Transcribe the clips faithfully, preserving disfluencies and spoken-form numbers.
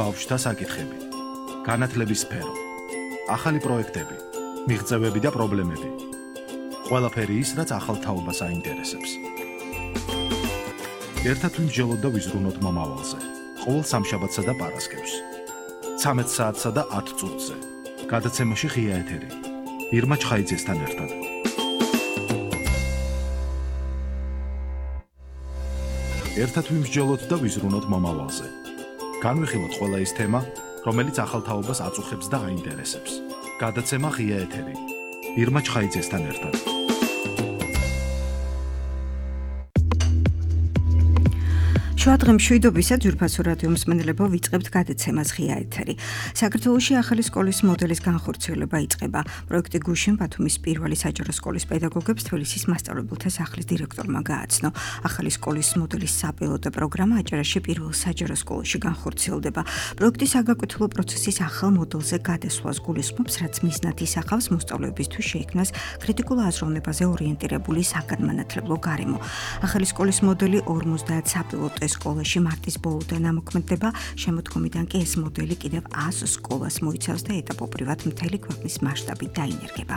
ბავშვთა საკითხები, განათლების სფერო, ახალი პროექტები, მიღწევები და პრობლემები. ყველაფერი ის, რაც ახალ თაობას აინტერესებს. ერთად ვიმსჯელოთ და ვიზრუნოთ მომავალზე. ყოველ სამშაბათსა და პარასკევს. ცამეტ საათსა და ათ წუთზე. გადაცემაში ღია ეთერი. ირმა ჩხაიძესთან ერთად. ერთად ვიმსჯელოთ და ვიზრუნოთ მომავალზე. განვიხილოთ ყველა ის თემა, რომელიც ახალ თაობას აწუხებს და აინტერესებს. გადაცემა ღია ეთერი. ირმა ჩხაიძესთან ერთად. შუადღე მშვიდობისა ძვირფასო რადიო მსმენელებო, ვიწყებთ გადაცემას ღია ეთერი. საქართველოში ახალი სკოლის მოდელის განხორციელება იწყება. პროექტი გუშინ ბათუმის პირველი საჯარო სკოლის პედაგოგებს თბილისის მასწავლებელთა სახლის დირექტორმა გააცნო. ახალი სკოლის მოდელის საპილოტო პროგრამა აჭარაში პირველ საჯარო სკოლაში განხორციელდება. პროექტი საგაკვეთილო პროცესის ახალ მოდელზე გადასვლას გულისხმობს, რაც მიზნად ისახავს მოსწავლეებისთვის შეიქმნას კრიტიკულ აზროვნებაზე ორიენტირებული საგანმანათლებლო გარემო. ახალი სკოლის მოდელი ორმოცდაათ საპილოტო სკოლაში მარტის ბოლოდან ამოქმედება, შემოდგომიდან კი ეს მოდელი კიდევ ას სკოლას მოიცავს და ეტაპობრივად მთელი ქვეყნის მასშტაბით დაინერგება.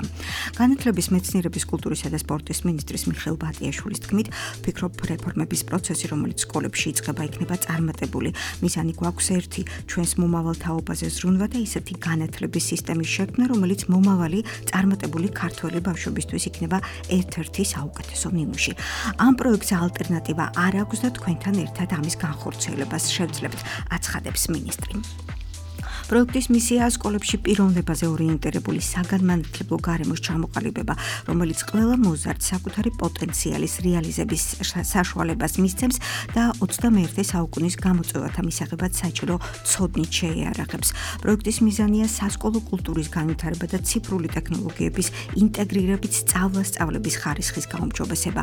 განათლების, მეცნიერების, კულტურისა და სპორტის მინისტრის მიხეილ ბატიაშვილის თქმით, ფიქრობ რეფორმების პროცესი, რომელიც სკოლებში იწყება, იქნება წარმატებული. მიზანი გვაქვს ერთი, ჩვენს მომავალ თაობაზე ზრუნვა და ისეთი განათლების სისტემის შექმნა, რომელიც მომავალი წარმატებული ქართველი ბავშვებისთვის იქნება ერთ-ერთი საუკეთესო ნიმუში. ამ პროექტს ალტერნატივა არ აქვს და თქვენთან ერთად ამის განხორციელებას შევძლებთ, აცხადებს მინისტრი. პროექტის მისიაა სკოლებში პიროვნებაზე ორიენტირებული საგანმანათლებლო გარემოს ჩამოყალიბება, რომელიც ყველა მოზარდს საკუთარი პოტენციალის რეალიზების საშუალებას მისცემს და ოცდამეერთე საუკუნის გამოწვევათა მისაღებად საჭირო ცოდნით შეიარაღებს. პროექტის მიზანია სასკოლო კულტურის განვითარება და ციფრული ტექნოლოგიების ინტეგრირებით სწავლა-სწავლების ხარისხის გაუმჯობესება.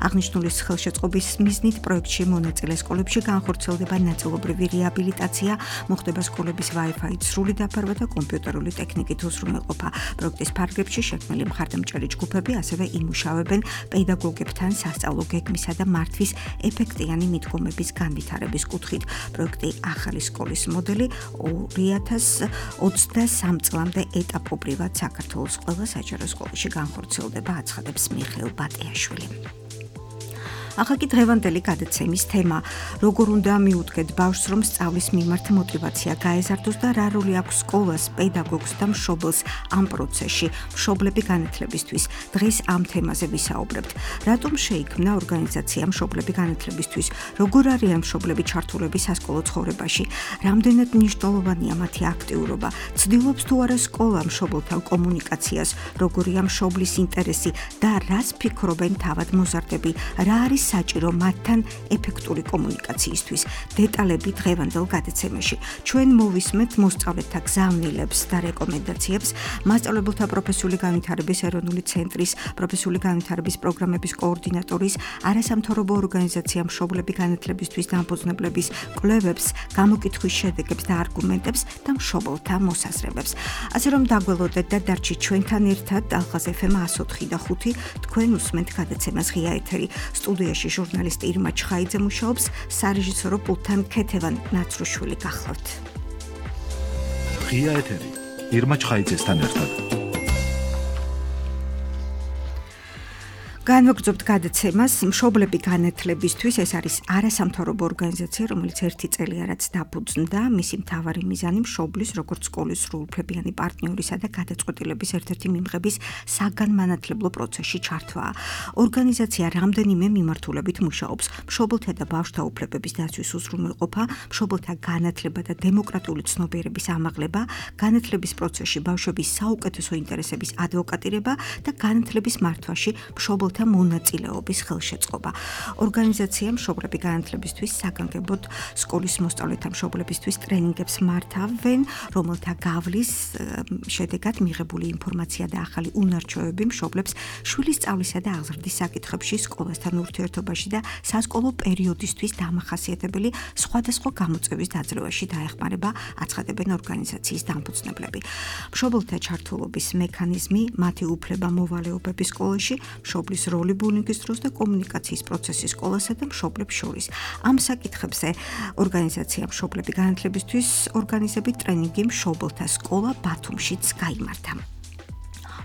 აღნიშნულის ხელშეწყობის მიზნით პროექტში მონაწილე სკოლებში განხორციელდება ნაწილობრივი რეაბილიტაცია, მოხდება სკოლების Wi-Fi სრული დაფარვა და კომპიუტერული ტექნიკით უზრუნველყოფა. პროექტის ფარგლებში შექმნილი მხარდამჭერი ჯგუფები ასევე იმუშავებენ პედაგოგებთან სასწავლო გეგმისა და მართვის ეფექტიანი მიდგომების განვითარების კუთხით. პროექტი ახალი სკოლის მოდელი ორი ათას ოცდასამ წლამდე ეტაპობრივად საქართველოს ყველა საჯარო სკოლაში განხორციელდება, აცხადებს მიხეილ ბატიაშვილი. ახალ დღევანდელი გადაცემის თემა: როგორ უნდა მიუდგეთ ბავშვს, რომ სწავლის მიმართ мотиваცია გაეზარდოს და რა როლი აქვს სკოლას, პედაგოგს და მშობელს ამ პროცესში, მშობლები განათლებისთვის. დღეს ამ თემაზე ვისაუბრებთ. რატომ შეიქმნა ორგანიზაცია მშობლები განათლებისთვის? როგორ არიან მშობლები ჩართულები სასკოლო ცხოვრებაში? რამდენად მნიშვნელოვანია მათი აქტიურობა? ცდილობს თუ არა სკოლა მშობელთან კომუნიკაციას? როგორია მშობლის ინტერესი და რას ფიქრობენ თავად მოზარდები? რა არის საჭირო მათთან ეფექტური კომუნიკაციისთვის? დეტალები დღევანდელ გადაცემაში. ჩვენ მოვისმენთ მოსწავლეთა გზავნილებს და რეკომენდაციებს, მასწავლებელთა პროფესიული განვითარების ეროვნული ცენტრის პროფესიული განვითარების პროგრამების კოორდინატორის, არასამთავრობო ორგანიზაცია მშობლები განათლებისთვის დამფუძნებლების კვლევებს, გამოკითხვის შედეგებს და არგუმენტებს და მშობელთა მოსაზრებებს. ასე რომ დაგველოდეთ და დარჩით ჩვენთან ერთად. ალხაზ ეფ ემ ას ოთხი და ხუთი, თქვენ უსმენთ გადაცემას ღია ეთერი. სტუდიაში ჟურნალისტი ირმა ჩხაიძე მუშაობს, სარეჟისორო პულტთან ქეთევან ნაცრუშვილი გახლავთ. ღია ეთერი. ირმა ჩხაიძესთან ერთად. განვაგრძობთ გადაცემას მშობლები განათლებისთვის. ეს არის არასამთავრობო ორგანიზაცია, რომელიც ერთი წელია რაც დაფუძნდა. მისი მთავარი მიზანი მშობლის, როგორც სკოლის სრულუფლებიანი პარტნიორისა და გადაწყვეტილების ერთ-ერთი მიმღების საგანმანათლებლო პროცესში ჩართვაა. ორგანიზაცია რამდენიმე მიმართულებით მუშაობს: მშობელთა და ბავშვთა უფლებების დაცვის უზრუნველყოფა, მშობელთა განათლება და დემოკრატიული ცნობიერების ამაღლება, განათლების პროცესში ბავშვების საუკეთესო ინტერესების ადვოკატირება და განათლების მართვაში მშობელთა მონაწილეობის ხელშეწყობა. ორგანიზაცია მშობლები განათლებისთვის საგანგებოდ სკოლის მოსწავლეთა მშობლებისთვის ტრენინგებს მართავენ, რომელთა გავლის შედეგად მიღებული ინფორმაცია და ახალი უნარჩვევები მშობლებს შვილის სწავლისა და აღზრდის საკითხებში, სკოლასთან ურთიერთობაში და სასკოლო პერიოდისთვის დამახასიათებელი სხვადასხვა გამოწვევის დაძლევაში დაეხმარება, აცხადებენ ორგანიზაციის დამფუძნებლები. მშობელთა ჩართულობის მექანიზმი, მათი უფლება მოვალეობები სკოლაში, მშობლის მშობლის როლი ბულინგის დროს და კომუნიკაციის პროცესი სკოლასა და მშობლებს შორის. ამ საკითხებზე ორგანიზაცია მშობლები განათლებისთვის ორგანიზებით ტრენინგი მშობელთა სკოლა ბათუმშიც გაიმართა.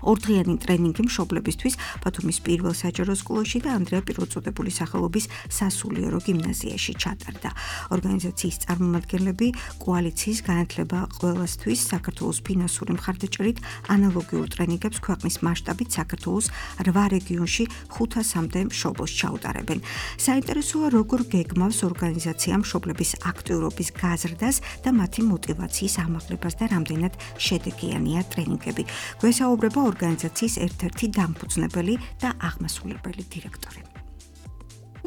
ორდღიანი ტრენინგი მშობლებისთვის ბათუმის პირველ საჯარო სკოლაში და ანდრია პირველწოდებული სახელობის სასულიერო გიმნაზიაში ჩატარდა. ორგანიზაციის წარმომადგენლები კოალიციის განათლება ყველასთვის საქართველოს ფინანსური მხარდაჭერით ანალოგიურ ტრენინგებს ქვეყნის მასშტაბით საქართველოს რვა რეგიონში ხუთასამდე მშობელს ჩაუტარებენ. საინტერესოა, როგორ გეგმავს ორგანიზაცია მშობლების აქტიურობის გაზრდას და მათი мотиваციის ამაღლებას და რამდენად შედეგიანია ტრენინგები. გვესაუბრება ორგანიზაციის ერთ-ერთი დამფუძნებელი და აღმასრულებელი დირექტორი.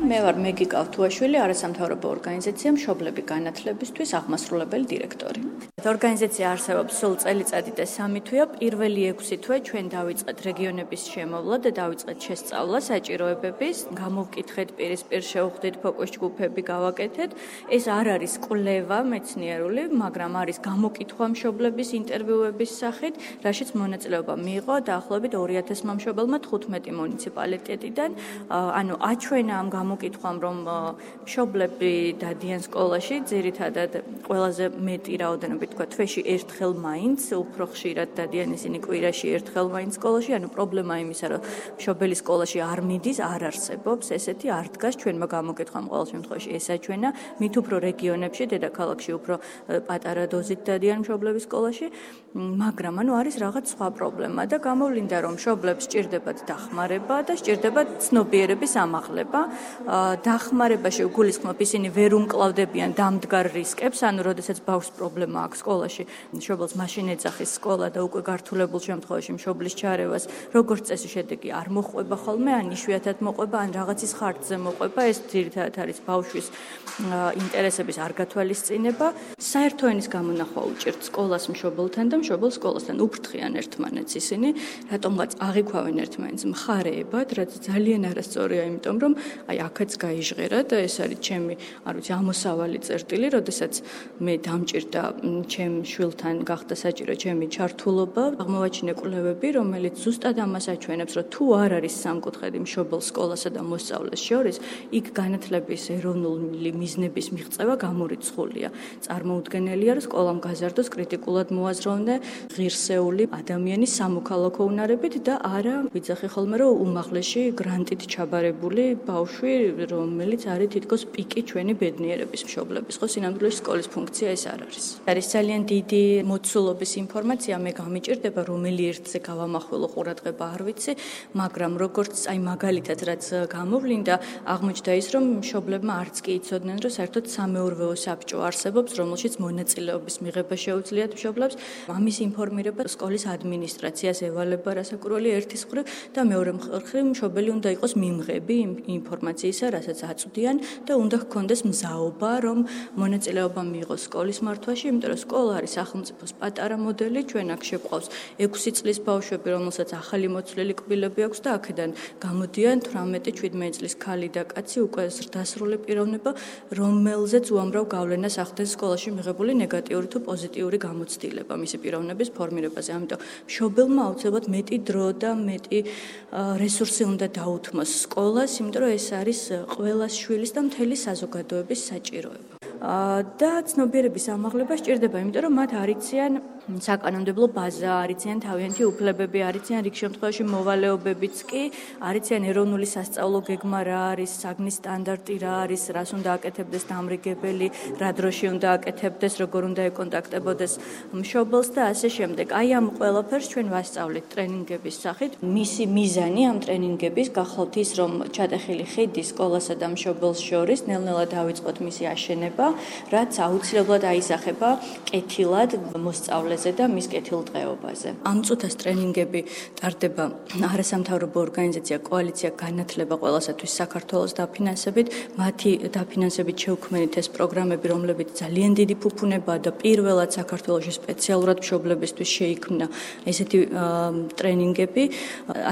მე ვარ მეგი კავთუაშვილი, არასამთავრობო ორგანიზაცია მშობლები განათლებისთვის აღმასრულებელი დირექტორი. ორგანიზაცია არსებობს სულ წელიწადი და სამი თვეა. პირველი ექვსი თვე ჩვენ დავიწყეთ რეგიონების შემოვლა და დავიწყეთ შესწავლა საჭიროებების, გამოვკითხეთ პირისპირ შევხვდით ფოკუს ჯგუფები გავაკეთეთ. ეს არ არის კვლევა მეცნიერული, მაგრამ არის გამოკითხვა მშობლების ინტერვიუების სახით, რაშიც მონაწილეობა მიიღო დაახლოებით ორი ათასმა მშობელმა თხუთმეტი მუნიციპალიტეტიდან. ანუ აჩვენა ამ გამოკითხვამ, რომ მშობლები დადიან სკოლაში, ძირითადად ყველაზე მეტი რაოდენობით თქვა თვეში ერთხელ მაინც, უფრო ხშირად დადიან ისინი კვირაში ერთხელ მაინც სკოლაში, ანუ პრობლემა იმისა, რომ მშობელი სკოლაში არ მიდის, არ არსებობს, ესეთი არ დგას ჩვენმა გამოკითხვამ ყოველ შემთხვევაში ეს აჩვენა, მით უფრო რეგიონებში, დედაქალაქში უფრო პატარა დოზით დადიან მშობლები სკოლაში, მაგრამ ანუ არის რაღაც სხვა პრობლემა და გამოვლინდა, რომ მშობლებს სჭირდებათ დახმარება და სჭირდებათ ცნობიერების ამაღლება. დახმარებაში გულისხმობ ისინი ვერ უმკლავდებიან დამდგარ რისკებს, ანუ როდესაც ბავშვს პრობლემა აქვს სკოლაში, მშობელს მაშინ ეძახის სკოლა და უკვე გართულებულ შემთხვევაში მშობლის ჩარევას როგორც წესი შედეგი არ მოყვება ხოლმე, ან იშვიათად მოყვება, ან რაღაცის ხარჯზე მოყვება, ეს ძირითადად არის ბავშვის ინტერესების არ გათვალისწინება. საერთო ენის გამონახვა უჭირთ სკოლას მშობელთან და მშობელს სკოლასთან, უფრთხიან ერთმანეთს ისინი, რატომღაც აღიქვავენ ერთმანეთს მხარეებად, რაც ძალიან არასწორია, იმიტომ რომ აი აქაც გაიჟღერა და ეს არის ჩემი, არ ვიცი, ამოსავალი წერტილი, როდესაც მე დამჭირდა ჩემ შვილთან გახდა საჭირო ჩემი ჩართულობა, აღმოვაჩინე კვლევები, რომელიც ზუსტად ამას აჩვენებს, რომ თუ არ არის სამკუთხედი მშობელ სკოლასა და მოსწავლეს შორის, იქ განათლების ეროვნული მიზნების მიღწევა გამორიცხულია. წარმოუდგენელია, რომ სკოლამ გაზარდოს კრიტიკულად მოაზროვნე ღირსეული ადამიანის სამოქალაქო უნარებით და არა ვიძახი ხოლმე, რომ უმაღლესი გრანტით ჩაბარებული ბავშვი, რომელიც არის თითქოს პიკი ჩვენი ბედნიერების მშობლების, ხო, სინამდვილეში სკოლის ფუნქცია ეს არ არის. არის ძალიან დიდი მოცულობის ინფორმაცია, მე გამიჭირდება რომელი ერთზე გავამახვილო ყურადღება არ ვიცი, მაგრამ როგორც აი მაგალითად რაც გამოვლინდა, აღმოჩნდა ის, რომ მშობლებმა არც კი იცოდნენ, რომ საერთოდ სამეურვეო საბჭო არსებობს, რომელშიც მონაწილეობის მიღება შეუძლიათ მშობლებს. ამის ინფორმირება სკოლის ადმინისტრაციას ევალება რასაკვირველი ერთის მხრივ და მეორე მხრივ მშობელი უნდა იყოს მიმღები ინფორმაციისა, რასაც აწვდიან და უნდა ჰქონდეს მზაობა, რომ მონაწილეობა მიიღოს სკოლის მართვაში, იმიტომ რომ სკოლა არის სახელმწიფოს პატარა მოდელი, ჩვენ აქ შეგვყავს ექვსი წლის ბავშვები, რომელსაც ახალი მოცვლილი კბილები აქვს და აქედან გამოდიან თვრამეტი შვიდმეტი წლის ქალი და კაცი, უკვე ზრდასრული პიროვნება, რომელზეც უამრავ გავლენას ახდენს სკოლაში მიღებული ნეგატიური თუ პოზიტიური გამოცდილება მისი პიროვნების ფორმირებაზე. ამიტომ მშობელმა აუცილებლად მეტი დრო და მეტი რესურსი უნდა დაუთმოს სკოლას, იმიტომ რომ ეს არის ყველა შვილის და მთელი საზოგადოების საჭიროება. და ცნობიერების ამაღლება სჭირდება, იმიტომ რომ მათ არიციან საკანონმდებლო ბაზა, არიციან თავიანთი უფლებები, არიციან რიგ შემთხვევაში მოვალეობებიც კი, არიციან ეროვნული სასწავლო გეგმა რა არის, საგნის სტანდარტი რა არის, რას უნდა აკეთებდეს დამრიგებელი, რა დროში უნდა აკეთებდეს, როგორ უნდა ეკონტაქტებოდეს მშობელს და ასე შემდეგ. აი ამ ყველაფერს ჩვენ ვასწავლეთ ტრენინგების სახით. მისი მიზანი ამ ტრენინგების გახლავთ ის, რომ ჩატეხილი ხიდი სკოლასა და მშობელს შორის ნელ-ნელა დავიწყოთ მისი აშენება, რაც აუცილებლად აისახება კეთილად მოსწავლეზე და მის კეთილდღეობაზე. ამ წუთას ტრენინგები ტარდება არასამთავრობო ორგანიზაცია კოალიცია განათლება ყველასათვის საქართველოს დაფინანსებით, მათი დაფინანსებით შევქმნით ეს პროგრამები, რომლებიც ძალიან დიდი ფუფუნებაა და პირველად საქართველოში სპეციალურად მშობლებისთვის შეიქმნა ესეთი ტრენინგები,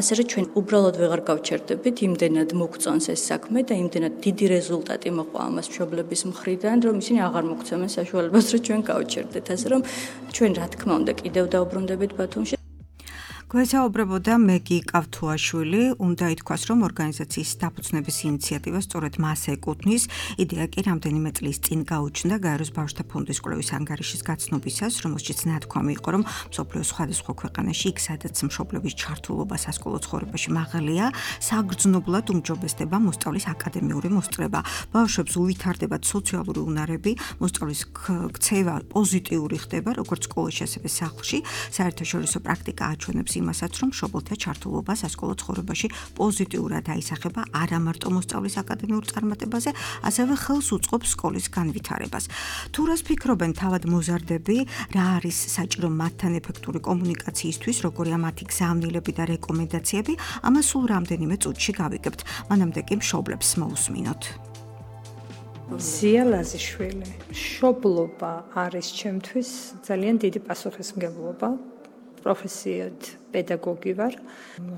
ასე რომ ჩვენ უბრალოდ ვეღარ გავჩერდებით, იმდენად მოგწონს ეს საქმე და იმდენად დიდი რეზულტატი მოყვა ამას მშობლების მხრიდან, რომ ისინი აღარ მოგცემენ საშუალებას, რომ ჩვენ გავჩერდეთ, ასე რომ ჩვენ რა თქმა უნდა კიდევ დაუბრუნდებით ბათუმში. გვესაუბრებოდა მეგი კავთუაშვილი, უნდა ითქვას, რომ ორგანიზაციის დაფუძნების ინიციატივა სწორედ მას ეკუთვნის. იდეა კი რამდენიმე წლის წინ გაუჩნდა გაეროს ბავშვთა ფონდის კვლევის ანგარიშის გაცნობისას, რომელშიც ნათქვამი იყო, რომ მსოფლიოს სხვადასხვა ქვეყანაში იქ, სადაც მშობლების ჩართულობა სასკოლო ცხოვრებაში მაღალია, საგრძნობლად უმჯობესდება მოსწავლის აკადემიური მოსწრება. ბავშვებს უვითარდებათ სოციალური უნარები, მოსწავლის ქცევა პოზიტიური ხდება, როგორც სკოლაში, ასევე სახლში. საერთაშორისო პრაქტიკა აჩვენებს იმასაც, რომ მშობელთა ჩართულობა სასკოლო ცხოვრებაში პოზიტიურად აისახება არა მარტო მოსწავლის აკადემიურ წარმატებაზე, ასევე ხელს უწყობს სკოლის განვითარებას. თუ რას ფიქრობენ თავად მოზარდები, რა არის საჭირო მათთან ეფექტური კომუნიკაციისთვის, როგორია მათი გზავნილები და რეკომენდაციები, ამას სულ რამდენიმე წუთში გავიგებთ. მანამდე კი მშობლებს მოусმინოთ. ზია ლაზიშვილი. მშობლობა არის ჩემთვის ძალიან დიდი პასუხისმგებლობა. პროფესიად პედაგოგი ვარ.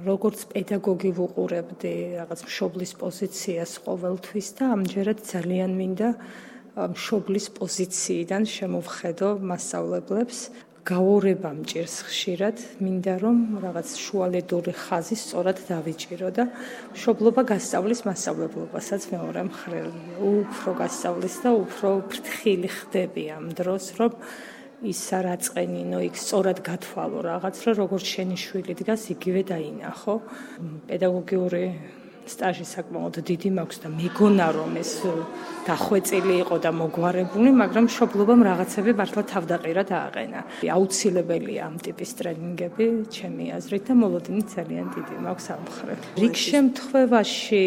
როგორც პედაგოგი ვუყურებდი რაღაც მშობლის პოზიციას ყოველთვის და ამჯერად ძალიან მინდა მშობლის პოზიციიდან შემოვხედო მასწავლებლებს. გაურება მჭირს ხშირად, მინდა რომ რაღაც შუალედური ხაზი სწორად დავიჭირო და მშობლობა გასწავლის მასწავლებლობასაც მეორე მხრივ. უფრო გასწავლის და უფრო ფრთხილი ხდები ამ დროს, რომ ის რა წენინო იქ სწორად გათვალო რაღაც, რომ როგორც შენი შვილი დგას, იგივე დაინახო. პედაგოგიური სტაჟი საკმაოდ დიდი მაქვს და მეგონა რომ ეს დახვეწილი იყო და მოგვარებული, მაგრამ მშობლობამ რაღაცები მართლა თავდაყირა დააყენა. აუცილებელია ამ ტიპის ტრენინგები, ჩემი აზრით და მოლოდინი ძალიან დიდი მაქვს ამ მხრივ. რიგ შემთხვევაში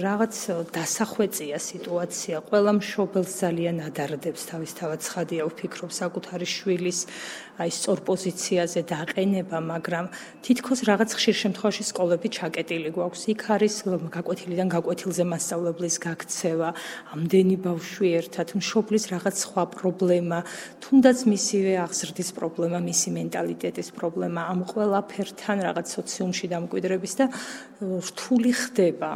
რაღაც დასახვეწია სიტუაცია, ყველა მშობელს ძალიან ადარდებს თავისთავად ცხადია ვფიქრობ საკუთარი შვილის აი სწორ პოზიციაზე დაყენება, მაგრამ თითქოს რაღაც ხშირ შემთხვევაში სკოლები ჩაკეტილი გვაქვს. იქ არის გაკვეთილიდან გაკვეთილზე მასწავლებლის გაქცევა, ამდენი ბავშვი ერთად, მშობლის რაღაც სხვა პრობლემა, თუნდაც მისივე აღზრდის პრობლემა, მისი მენტალიტეტის პრობლემა, ამ ყველაფერთან რაღაც სოციუმში დამკვიდრების და რთული ხდება.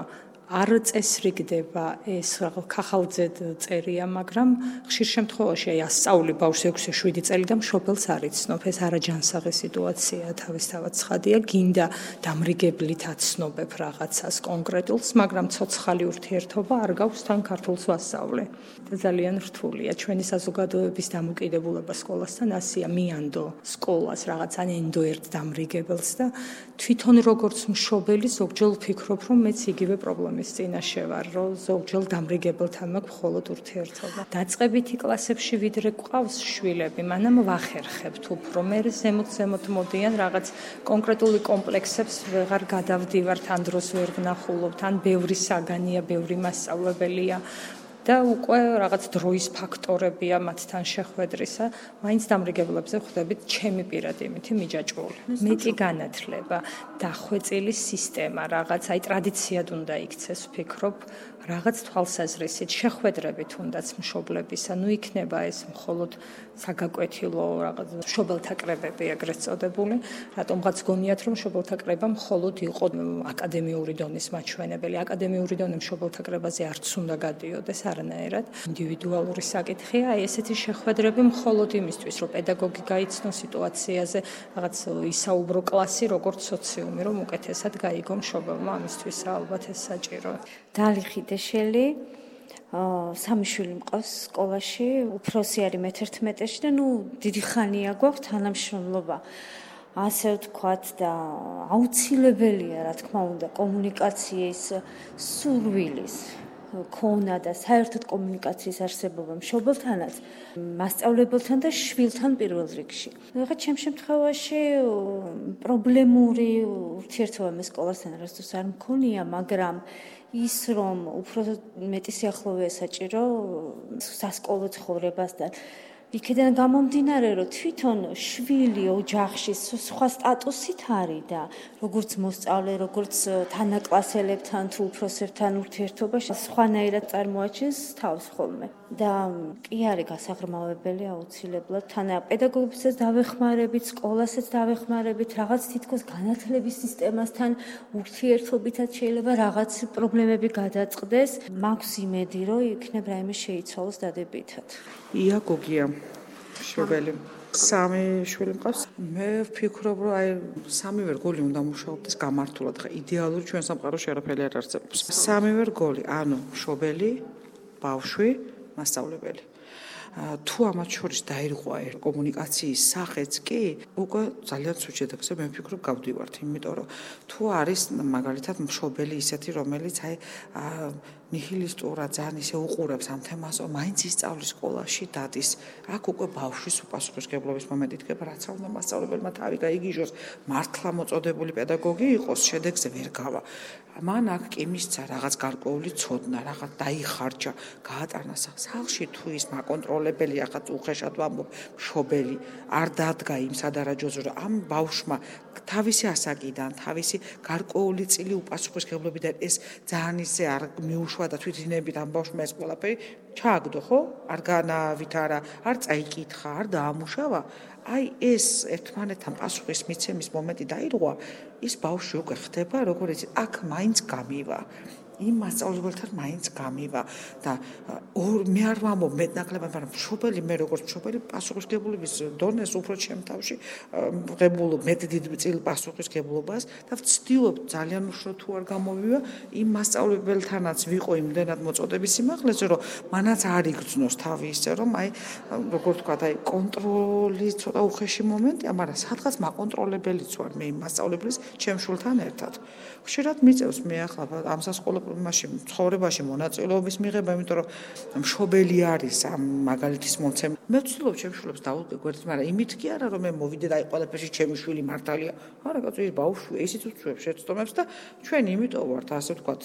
არ წესრიგდება ეს ხახალძედ წერია, მაგრამ ხშირ შემთხვევაში აი ასწავლი ბავშვს ექვსი შვიდი წელი და მშობელს არ იცნობ, ეს არაჯანსაღი სიტუაციაა თავისთავად ცხადია, გინდა დამრიგებლით აცნობებ რაღაცას კონკრეტულს, მაგრამ ცოცხალი ურთიერთობა არ გაქვს თან ქართულს ვასწავლე. და ძალიან რთულია ჩვენი საზოგადოების დამოკიდებულება სკოლასთან ასია, მიანდო სკოლას რაღაც ან ენდო ერთ დამრიგებელს და თვითონ როგორც მშობელი ზოგჯერ ვფიქრობ, რომ მეც იგივე პრობლემა წინაშე ვარ, რომ ზოგჯერ დამრიგებელთან მაქვს მხოლოდ ურთიერთობა. დაწყებითი კლასებში ვიდრე გვყავს შვილები, მანამ ვახერხებთ უფრო. მე ზემოთ-ზემოთ მოდიან რაღაც კონკრეტული კომპლექსებს ვეღარ გადავდივართ, ან დროს ვერ ვნახულობთ, ან ბევრი საგანია, ბევრი მასწავლებელია. და უკვე რაღაც დროის ფაქტორებია მათთან შეხვედრისა, მაინც დამრიგებლებზე ხვდებით ჩემი პირადი იმითი მიჯაჭვული. მეტი განათლება, დახვეწილი სისტემა, რაღაც აი ტრადიციად უნდა იქცეს, ვფიქრობ, რაღაც თვალსაზრისით შეხვედრებით თუნდაც მშობლებისა, ნუ იქნება ეს მხოლოდ საგაკვეთილო რაღაც მშობელთა კრებები ეგრეთ წოდებული, რატომღაც გონიათ რომ მშობელთა კრება მხოლოდ იყო აკადემიური დონის მაჩვენებელი, აკადემიური დონე მშობელთა კრებაზე არც უნდა გადიოდეს არანაირად, ინდივიდუალური საკითხია, აი ესეთი შეხვედრები მხოლოდ იმისთვის, რომ პედაგოგი გაიცნო სიტუაციაზე, რაღაც ისაუბრო კლასი როგორც სოციუმი, რომ უკეთესად გაიგო მშობელმა, ამისთვის ალბათ ეს საჭიროა. დალი ხიდეშელი სამი შვილი მყავს სკოლაში, უფროსი არის მეთერთმეტეში და ნუ დიდი ხანია გვაქვს თანამშრომლობა. ასე ვთქვათ და აუცილებელია, რა თქმა უნდა, კომუნიკაციის სურვილის ქონა და საერთოდ კომუნიკაციის არსებობა მშობელთანაც, მასწავლებელთან და შვილთან პირველ რიგში. რაღაც ჩემ შემთხვევაში პრობლემური ურთიერთობა მე სკოლასთან არასდროს არ მქონია, მაგრამ ის რომ უფრო მეტი სიახლოვე საჭირო სასკოლო ცხოვრებასთან. იქიდან გამომდინარე, რომ თვითონ შვილი ოჯახში სხვა სტატუსით არის და როგორც მოსწავლე, როგორც თანაკლასელებთან თუ უფროსებთან ურთიერთობაში სხვანაირად წარმოაჩენს თავს ხოლმე. და კი არის გასაღრმავებელი აუცილებლად თანა პედაგოგებსაც დავეხმარებით, სკოლასაც დავეხმარებით, რაღაც თითქოს განათლების სისტემასთან ურთიერთობითაც შეიძლება რაღაც პრობლემები გადაწყდეს. მაქვს იმედი, რომ იქნებ რაიმე შეიცვალოს დადებითად. ია გოგია მშობელი სამი შვილი მყავს. მე ვფიქრობ, რომ აი სამივე რგოლი უნდა მუშაობდეს გამართულად. ხა იდეალური ჩვენ სამყაროში არაფერი არ არსებობს. სამივე რგოლი, ანუ მშობელი, ბავშვი, მასწავლებელი. თუ ამათ შორის დაირღვა კომუნიკაციის სახეც კი, უკვე ძალიან ცუდ შედეგზე მე ვფიქრობ გავდივართ, იმიტომ რომ თუ არის მაგალითად მშობელი ისეთი, რომელიც აი ნიჰილისტურად ძალიან ისე უყურებს ამ თემას, რომ მაინც ისწავლის სკოლაში დადის, აქ უკვე ბავშვის უპასუხისმგებლობის მომენტი დგება, რაც არ უნდა მასწავლებელმა თავი გაიგიჟოს, მართლა მოწოდებული პედაგოგი იყოს, შედეგზე ვერ გავა. მან აქ კი მისცა რაღაც გარკვეული ცოდნა, რაღაც დაიხარჯა, გაატარნა სახლში თუ ის მაკონტროლებელი, ახაც უხეშად ვამბობ, მშობელი არ დადგა იმ სადარაჯოზე, რომ ამ ბავშვმა თავისი ასაკიდან, თავისი გარკვეული წილი უპასუხისმგებლობიდან ეს ძალიან ისე არ მიუშვა და თვითინებით ამ ბავშვმა ეს ყველაფერი ჩააგდო, ხო? არ განაავითარა, არ წაიკითხა, არ დაამუშავა. აი ეს ერთმანეთთან პასუხის მიცემის მომენტი დაირღვა, ის ბავშვი უკვე ხდება, როგორც აქ მაინც გამივა. იმ მასწავლებელთან მაინც გამივა და მე არ ვამბობ მეტნაკლებად, მაგრამ მშობელი მე როგორც მშობელი პასუხისმგებლობის დონეს უფრო ჩემ თავში ვღებულობ მეტ დიდ წილ პასუხისმგებლობას და ვცდილობ ძალიან უშრო თუ არ გამოვივა იმ მასწავლებელთანაც ვიყო იმდენად მოწოდების სიმაღლეზე, რომ მანაც არ იგრძნოს თავი ისე, რომ აი როგორ თქვა, აი კონტროლი ცოტა უხეში მომენტია, მაგრამ სადღაც მაკონტროლებელიც ვარ მე იმ მასწავლებლის ჩემ შულთან ერთად. ხშირად მიწევს მე ახლა ამ სასკოლო მაშინ ცხოვრებაში მონაწილეობის მიღება, იმიტომ რომ მშობელი არის ამ მაგალითის მომცემ. მე ვცდილობ ჩემს შვილებს დავუდგე გვერდით, მაგრამ იმით კი არა, რომ მე მოვიდე და აი ყველაფერში ჩემი შვილი მართალია. არა, კაცო, ის ბავშვია, ისიც უწევს შეცდომებს და ჩვენ იმიტომ ვართ, ასე ვთქვათ,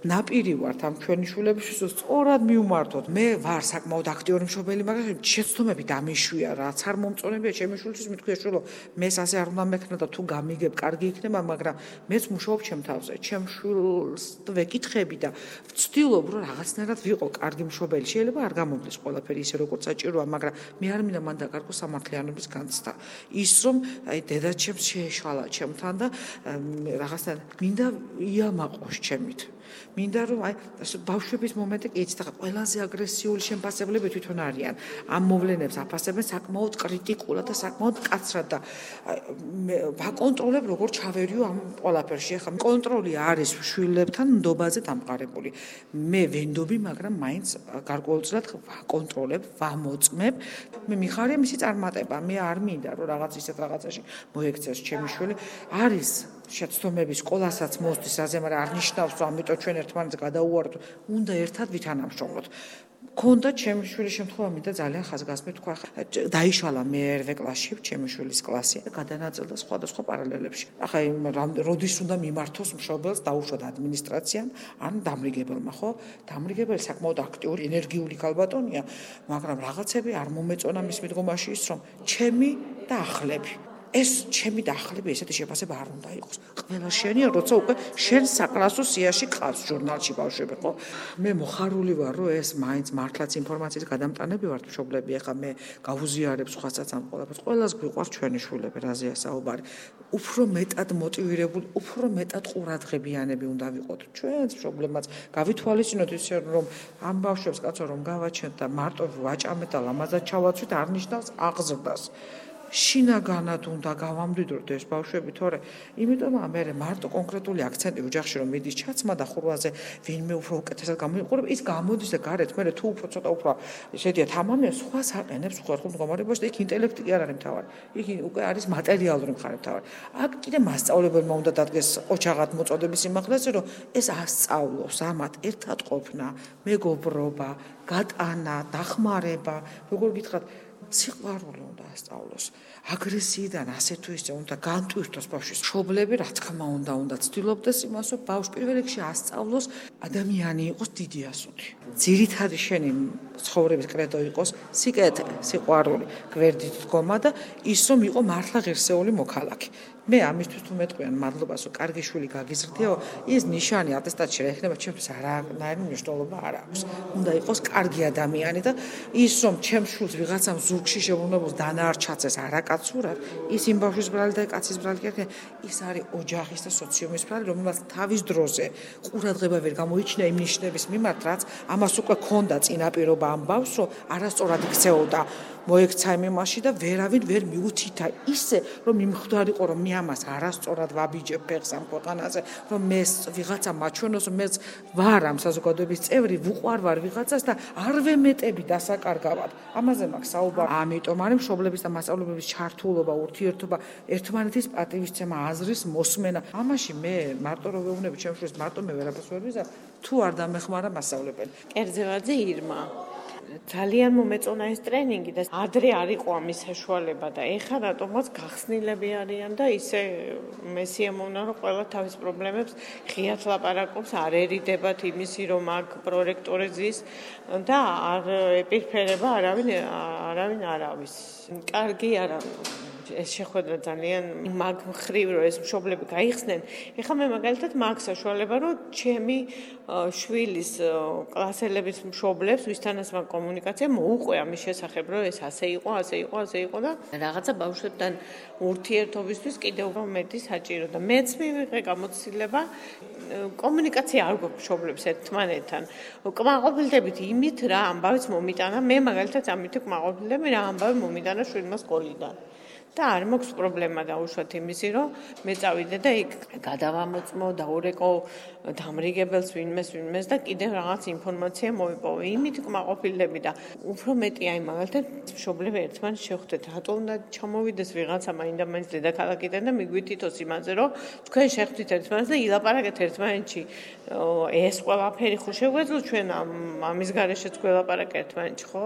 ნაპირი ვართ ამ ჩვენი შვილების სწორად მივმართოთ. მე ვარ საკმაოდ აქტიური მშობელი, მაგრამ შეცდომები დამიშვია, რაც არ მომწონებია ჩემი შვილისთვის, მithქვია შვილო, მეს ასე არ უნდა მექნა და თუ გამიგებ, კარგი იქნება, მაგრამ მეც მუშაობ ჩემ თავზე, ჩემ შვილს ვეკითხები და ვცდილობ, რომ რაღაცნაირად ვიყო კარგი მშობელი. შეიძლება არ გამომდის ყველაფერი ისე, როგორც საჭიროა, მაგრამ მე არ მინდა მან დაკარგო სამართლიანობის განცდა. ის რომ აი დედაჩემს შეეშალა ჩემთან და რაღაცნაირად მინდა იამაყოს ჩემით. მინდა რომ აი ბავშვების მომენტი კი იცით, ახლა ყველაზე აგრესიული შემფასებლები თვითონ არიან. ამ მოვლენებს აფასებენ საკმაოდ კრიტიკულად და საკმაოდ მკაცრად და ვაკონტროლებ როგორ ჩავერიო ამ ყველაფერში. ახლა კონტროლი არის შვილებთან ნდობაზე დამყარებული. მე ვენდობი, მაგრამ მაინც გარკვეულწილად ვაკონტროლებ, ვამოწმებ. მე მიხარია მისი წარმატება. მე არ მინდა რომ რაღაც ისეთ რაღაცაში მოექცეს ჩემი შვილი. არის შეცდომები სკოლასაც მოსდის აზე, მაგრამ არ ნიშნავს, რომ ამიტომ ჩვენ ერთმანეთს გადაუვარდოთ, უნდა ერთად ვითანამშრომლოთ. ქონდა ჩემი შვილის შემთხვევა, მინდა ძალიან ხაზგასმით თქვა, დაიშალა მეერვე კლასში ჩემი შვილის კლასი და გადანაწილდა სხვადასხვა პარალელებში. ახლა იმ როდის უნდა მიმართოს მშობელს დაუშვათ ადმინისტრაციამ ან დამრიგებელმა, ხო? დამრიგებელი საკმაოდ აქტიური, ენერგიული ქალბატონია, მაგრამ რაღაცები არ მომეწონა მის მიდგომაში ის, რომ ჩემი და ახლები ეს ჩემი და ახლები ესეთი შეფასება არ უნდა იყოს. ყველა შენია, როცა უკვე შენ საკლასო სიაში ყავს ჟურნალში ბავშვები, ხო? მე მოხარული ვარ, რომ ეს მაინც მართლაც ინფორმაციის გადამტანები ვართ მშობლები. ახლა მე გავუზიარებ სხვასაც ამ ყველაფერს. ყველას გვიყვარს ჩვენი შვილები, რაზეა საუბარი. უფრო მეტად მოტივირებული, უფრო მეტად ყურადღებიანები უნდა ვიყოთ. ჩვენც მშობლებმაც გავითვალისწინოთ ისე, რომ ამ ბავშვებს კაცო რომ გავაჩენთ და მარტო ვაჭამეთ და ლამაზად ჩავაცვით, არ ნიშნავს აღზრდას. შინაგანად უნდა გავამდიდროთ ეს ბავშვები, თორე იმიტომ მე მარტო კონკრეტული აქცენტი ოჯახში რომ მიდის ჩაცმა და ხურვაზე ვინმე უფრო უკეთესად გამოიყურება, ის გამოდის და გარეთ მე თუ უფრო ცოტა უფრო შედიათ ამამია სხვა საყენებს ხერხულ მდგომარეობაში და იქ ინტელექტი კი არ არის მთავარი. იქ უკვე არის მატერიალური მხარე მთავარი. აქ კიდე მასწავლებელმა უნდა დადგეს ოჯახად მოწოდების სიმაღლეზე, რომ ეს ასწავლოს ამათ ერთად ყოფნა, მეგობრობა, გატანა, დახმარება, როგორ გითხრათ, სიყვარული უნდა ასწავლოს. აგრესიიდან ასე თუ ისე უნდა განტვირთოს ბავშვის მშობლები, რა თქმა უნდა, უნდა ცდილობდეს იმას, რომ ბავშვი პირველ რიგში ასწავლოს ადამიანი იყოს დიდი ასული. ძირითადი შენი ცხოვრების კრედო იყოს სიკეთე, სიყვარული, გვერდით დგომა და ის რომ იყო მართლა ღირსეული მოქალაქე. მე ამისთვის თუ მეტყვიან მადლობას, რომ კარგი შვილი გაგიზრდიაო, ის ნიშანი ატესტატში რა ეხება, ჩემს არანაირი მნიშვნელობა არ აქვს. უნდა იყოს კარგი ადამიანი და ის რომ ჩემს შვილს ვიღაცამ ზურგში შეუბრუნებულს დანარჩაცეს არაკაცურად, ის იმ ბავშვის ბრალი და კაცის ბრალი კი არა, ის არის ოჯახის და სოციუმის ბრალი, რომელმაც თავის დროზე ყურადღება ვერ გამოიჩინა იმ ნიშნების მიმართ, რაც ამას უკვე ქონდა წინაპირობა ამ ბავშვს, რომ არასწორად იქცეოდა მოექცა იმ იმაში და ვერავინ ვერ მიუთითა ისე რომ მიმხვდარიყო რომ მე ამას არასწორად ვაბიჯებ ფეხს ამ ქვეყანაზე რომ მე ვიღაცა მაჩვენოს რომ მე ვარ ამ საზოგადოების წევრი ვუყვარ ვარ ვიღაცას და არ ვემეტები დასაკარგავად ამაზე მაქვს საუბარი ამიტომ არის მშობლების და მასწავლებლების ჩართულობა ურთიერთობა ერთმანეთის პატივისცემა აზრის მოსმენა ამაში მე მარტო რო ვეუბნები ჩემს შვილს მარტო მე ვერაფერს ვერ ვიზარ თუ არ დამეხმარა მასწავლებელი კერძევაძე ირმა ძალიან მომეწონა ეს ტრენინგი და ადრე არ იყო ამის საშუალება და ეხლა რატომაც გახსნილები არიან და ისე მე სიამოვნა რომ ყველა თავის პრობლემებს ღიად ლაპარაკობს არ ერიდებათ იმისი რომ აქ პროექტორი ზის და არ ეპირფერება არავინ არავინ არავის კარგი არა ეს შეხვედრა ძალიან მაგ მხრივ რომ ეს მშობლები გაიხსნენ ეხლა მე მაგალითად მაგ საშუალება რომ ჩემი შვილის კლასელების მშობლებს ვისთანაც მაგ კომუნიკაცია მოუყვე ამის შესახებ რომ ეს ასე იყო ასე იყო ასე იყო და რაღაცა ბავშვებთან ურთიერთობისთვის კიდევ მეტი საჭირო და მეც მივიღე გამოცდილება კომუნიკაცია არ გვაქვს მშობლებს ერთმანეთთან კმაყოფილდებით იმით რა ამბავიც მომიტანა მე მაგალითად ამით კმაყოფილდები რა ამბავი მომიტანა შვილმა სკოლიდან და არ მაქვს პრობლემა დაუშვათ იმისი რომ მე წავიდე და იქ გადავამოწმო დაურეკო დამრიგებელს ვინმეს ვინმეს და კიდევ რაღაც ინფორმაცია მოიპოვე იმით კმაყოფილდები და უფრო მეტი აი მაგალითად მშობლები ერთმანეთს შევხვდეთ რატო უნდა ჩამოვიდეს ვიღაცა მაინდა მაინც დედაქალაქიდან და მიგვიტითოს იმაზე რომ თქვენ შევხვდით ერთმანეთს და ილაპარაკეთ ერთმანეთში ეს ყველაფერი ხო შეგვეძლო ჩვენ ამის გარეშეც გველაპარაკეთ ერთმანეთში ხო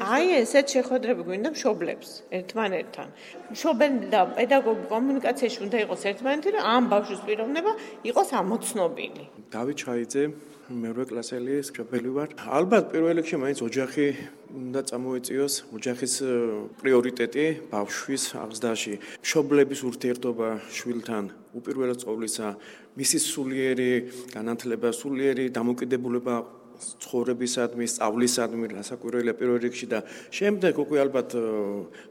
აი ესეთ შეხვედრები გვინდა მშობლებს ერთმანეთთან მშობელი და პედაგოგი კომუნიკაციაში უნდა იყოს ერთმანეთი და ამ ბავშვის პიროვნება იყოს ამოცნობილი. დავით ჩაიძე, მერვე კლასელი მშობელი ვარ. ალბათ პირველ რიგში მაინც ოჯახი უნდა წამოეწიოს, ოჯახის პრიორიტეტი ბავშვის აღზრდაში. მშობლების ურთიერთობა შვილთან უპირველეს ყოვლისა მისი სულიერი განათლება, სულიერი დამოკიდებულება ცხოვრებისადმი, სწავლისადმი, რასაკვირველია პირველ რიგში და შემდეგ უკვე ალბათ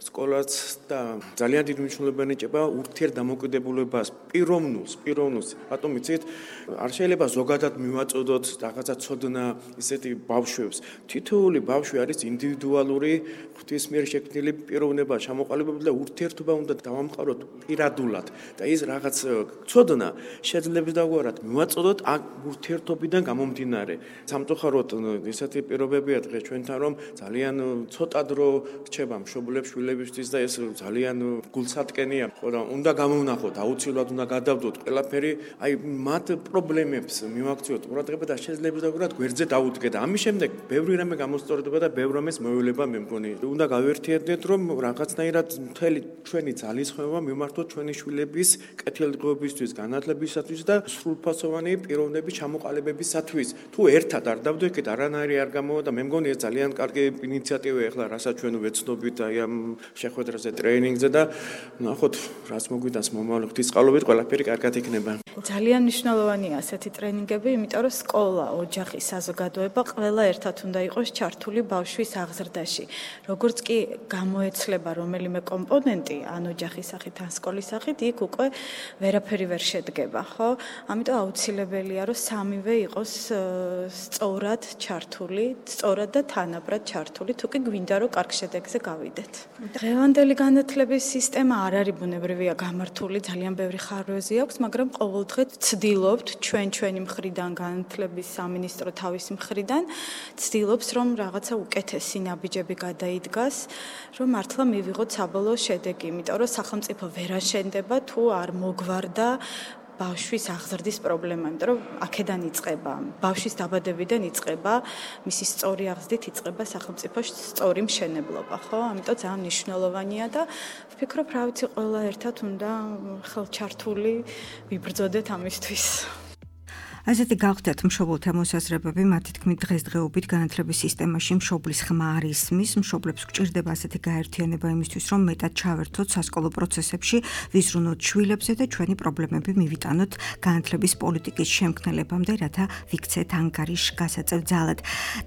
სკოლაც და ძალიან დიდი მნიშვნელობა ეჭება ურთიერთდამოკიდებულებას, პიროვნულს, პიროვნულს. რატომ იცით? არ შეიძლება ზოგადად მივაწოდოთ რაღაცა ცოდნა ისეთი ბავშვებს. თითოეული ბავშვი არის ინდივიდუალური, ღვთის მიერ შექმნილი პიროვნება, ჩამოყალიბებული და ურთიერთობა უნდა დავამყაროთ პირადულად და ის რაღაც ცოდნა შეძლებს დაგვარად მივაწოდოთ აქ ურთიერთობიდან გამომდინარე. სამწუხაროდ ისეთი პირობებია დღეს ჩვენთან რომ ძალიან ცოტა დრო რჩება მშობლებს შვილებისთვის და ეს ძალიან გულსატკენია. ხო და უნდა გამოვნახოთ, აუცილებლად უნდა გადავდოთ ყველაფერი, აი მათ პრობლემებს მივაქციოთ ყურადღება და შეძლებს დაგვარად გვერდზე დაუდგეთ. ამის შემდეგ ბევრი რამე გამოსწორდება და ბევრ რამეს მოევლება მე მგონი. უნდა გავერთიებდეთ რომ რაღაცნაირად მთელი ჩვენი ძალისხმევა მიმართოთ ჩვენი შვილების კეთილდღეობისთვის, განათლებისათვის და სრულფასოვანი პიროვნების ჩამოყალიბებისათვის. თუ ერთად არ დავდექით არანაირი არ გამოვა და მე მგონი ეს ძალიან კარგი ინიციატივაა ახლა რასაც ჩვენ ვეცნობით აი ამ შეხვედრაზე ტრეინინგზე და ნახოთ რაც მოგვიდას მომავალ ღვთისწყალობით ყველაფერი კარგად იქნება. ძალიან მნიშვნელოვანია ასეთი ტრენინგები, იმიტომ რომ სკოლა, ოჯახი, საზოგადოება ყველა ერთად უნდა იყოს ჩართული ბავშვის აღზრდაში. როგორც კი გამოეცლება რომელიმე კომპონენტი, ან ოჯახის სახით, ან სკოლის სახით, იქ უკვე ვერაფერი ვერ შედგება, ხო? ამიტომ აუცილებელია რომ სამივე იყოს სწორად ჩართული, სწორად და თანაბრად ჩართული, თუ კი გვინდა რომ კარგ შედეგზე გავიდეთ. დღევანდელი განათლების სისტემა არ არის ბუნებრივია გამართული, ძალიან ბევრი ხარვეზი აქვს, მაგრამ ყოველდღე ვცდილობთ ჩვენ ჩვენი მხრიდან განათლების სამინისტრო თავის მხრიდან ვცდილობს რომ რაღაცა უკეთესი ნაბიჯები გადაიდგას, რომ მართლა მივიღოთ საბოლოო შედეგი, იმიტომ რომ სახელმწიფო ვერ აშენდება თუ არ მოგვარდა ბავშვის აღზრდის პრობლემა, იმიტომ რომ აქედან იწყება, ბავშვის დაბადებიდან იწყება, მისი სწორი აღზრდით იწყება სახელმწიფოს სწორი მშენებლობა, ხო? ამიტომ ძალიან მნიშვნელოვანია და ვფიქრობ, რა ვიცი, ყველა ერთად უნდა ხელჩართული ვიბრძოდეთ ამისთვის. ასეთი გავხდათ მშობელთა მოსაზრებები, მათი თქმით დღესდღეობით განათლების სისტემაში მშობლის ხმა არ ისმის, მშობლებს გჭირდება ასეთი გაერთიანება იმისთვის, რომ მეტად ჩავერთოთ სასკოლო პროცესებში, ვიზრუნოთ შვილებზე და ჩვენი პრობლემები მივიტანოთ განათლების პოლიტიკის შემქმნელებამდე, რათა ვიქცეთ ანგარიშ გასაწევ ძალად.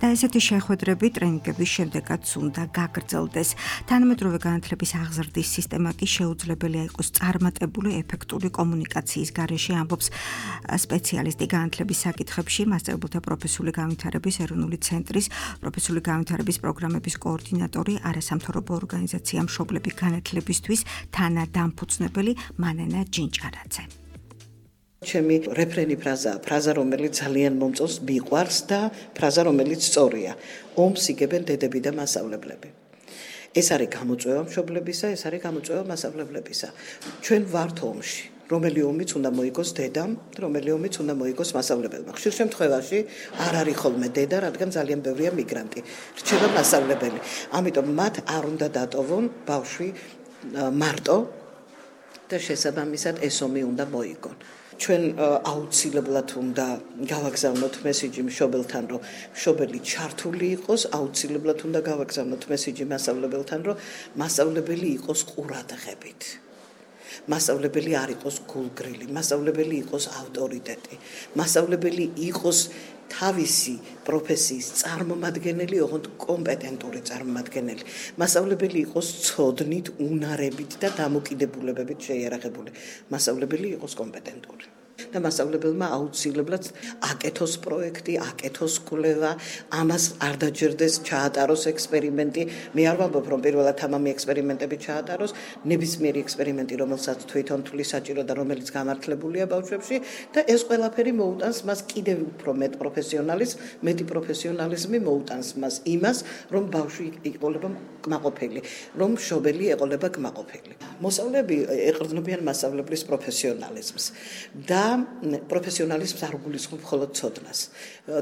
და ესეთი შეხვედრები ტრენინგების შემდეგაც უნდა გაგრძელდეს. თანამედროვე განათლების აღზრდის სისტემა კი შეუძლებელია იყოს წარმატებული, ეფექტური კომუნიკაციის გარეშე, ამბობს სპეციალისტი განათლების საკითხებში მასწავლებელთა პროფესიული განვითარების ეროვნული ცენტრის პროფესიული განვითარების პროგრამების კოორდინატორი, არასამთავრობო ორგანიზაცია მშობლები განათლებისთვის თანადამფუძნებელი მანენა ჯინჭარაძე. ჩემი რეფრენი ფრაზაა, ფრაზა რომელიც ძალიან მომწონს, მიყვარს და ფრაზა რომელიც სწორია. ომს იგებენ დედები და მასწავლებლები. ეს არის გამოწვევა მშობლებისა, ეს არის გამოწვევა მასწავლებლებისა. ჩვენ ვართ ომში. რომელი ომიც უნდა მოიგოს დედამ, რომელი ომიც უნდა მოიგოს მასწავლებელმა. ხშირ შემთხვევაში არ არის ხოლმე დედა, რადგან ძალიან ბევრია მიგრანტი. რჩება მასწავლებელი. ამიტომ მათ არ უნდა დატოვონ ბავშვი მარტო და შესაბამისად ეს ომი უნდა მოიგონ. ჩვენ აუცილებლად უნდა გავაგზავნოთ მესიჯი მშობელთან, რომ მშობელი ჩართული იყოს, აუცილებლად უნდა გავაგზავნოთ მესიჯი მასწავლებელთან, რომ მასწავლებელი იყოს ყურადღებით. მასწავლებელი არ იყოს გულგრილი, მასწავლებელი იყოს ავტორიტეტი, მასწავლებელი იყოს თავისი პროფესიის წარმომადგენელი, ოღონდ კომპეტენტური წარმომადგენელი. მასწავლებელი იყოს ცოდნით, უნარებით და დამოკიდებულებებით შეიარაღებული. მასწავლებელი იყოს კომპეტენტური. და მასწავლებელმა აუცილებლად აკეთოს პროექტი, აკეთოს კვლევა, ამას არ დაჯერდეს ჩაატაროს ექსპერიმენტი. მე არ ვამბობ, რომ პირველად ამამი ექსპერიმენტები ჩაატაროს, ნებისმიერი ექსპერიმენტი, რომელსაც თვითონ თვლის საჭირო და რომელიც გამართლებულია ბავშვებში და ეს ყველაფერი მოუტანს მას კიდევ უფრო მეტ პროფესიონალიზმს, მეტი პროფესიონალიზმი მოუტანს მას იმას, რომ ბავშვი იყოლება კმაყოფილი, რომ მშობელი ეყოლება კმაყოფილი. მოსწავლეები ეყრდნობიან მასწავლებლის პროფესიონალიზმს და პროფესიონალიზმს არ გულისხმობ მხოლოდ ცოდნას.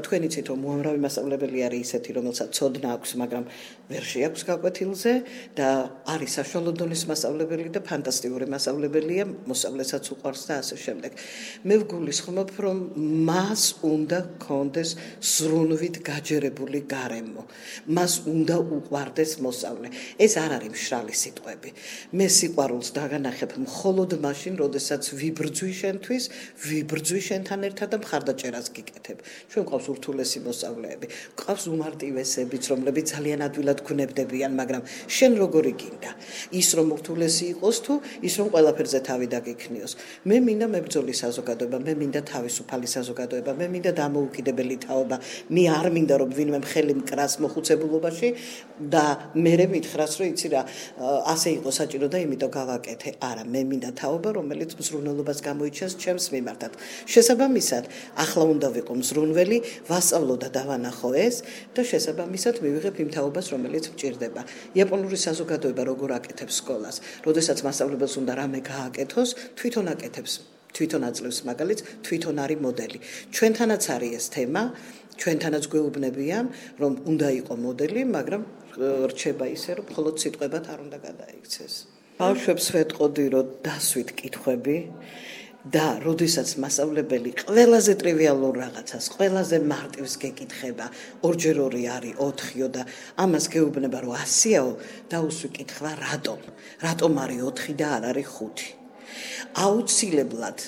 თქვენ იცით, რომ უამრავი მასწავლებელი არის ისეთი, რომელსაც ცოდნა აქვს, მაგრამ ვერ შეაქვს გაკვეთილზე და არის საშუალო დონის მასწავლებელი და ფანტასტიკური მასწავლებელია, მოსწავლესაც უყვარს და ასე შემდეგ. მე ვგულისხმობ, რომ მას უნდა ჰქონდეს ზრუნვით გაჯერებული გარემო. მას უნდა უყვარდეს მოსწავლე. ეს არ არის მშრალი სიტყვები. მე სიყვარულს დაგანახებ მხოლოდ მაშინ, როდესაც ვიბრძვი შენთვის, ვიბრძვი შენთან ერთად და მხარდაჭერას გიკეთებ. ჩვენ გვყავს ურთულესი მოსწავლეები, გვყავს უმარტივესებიც, რომლებიც ძალიან ადვილად გვნებდებიან, მაგრამ შენ როგორი გინდა? ის რომ ურთულესი იყოს თუ ის რომ ყველაფერზე თავი დაგიქნიოს. მე მინდა მებრძოლი საზოგადოება, მე მინდა თავისუფალი საზოგადოება, მე მინდა დამოუკიდებელი თაობა. მე არ მინდა რომ ვინმე მხელი მკრას მოხუცებულობაში და მერე მითხრას, რომ იცი რა, ასე იყო საჭირო და იმიტომ გავაკეთე. არა, მე მინდა თაობა, რომელიც მზრუნველობას გამოიჩენს ჩემს მიმართად. შესაბამისად, ახლა უნდა ვიყო მზრუნველი, ვასწავლო და დავანახო ეს და შესაბამისად მივიღებ იმ თაობას, რომელიც მჭირდება. იაპონური საზოგადოება როგორ აკეთებს სკოლას? როდესაც მასწავლებელს უნდა რამე გააკეთოს, თვითონ აკეთებს, თვითონ აძლევს მაგალითს, თვითონ არის მოდელი. ჩვენთანაც არის ეს თემა, ჩვენთანაც გვეუბნებიან, რომ უნდა იყო მოდელი, მაგრამ რჩება ისე, რომ მხოლოდ სიტყვებად არ უნდა გადაიქცეს. ბავშვებს ვეტყოდი, რომ დასვით კითხვები და როდესაც მასწავლებელი ყველაზე ტრივიალურ რაღაცას, ყველაზე მარტივს გეკითხება, ორჯერ ორი არის ოთხიო და ამას გეუბნება, რომ ასიაო, დაუსვი კითხვა, რატომ? რატომ არის ოთხი და არ არის ხუთი? აუცილებლად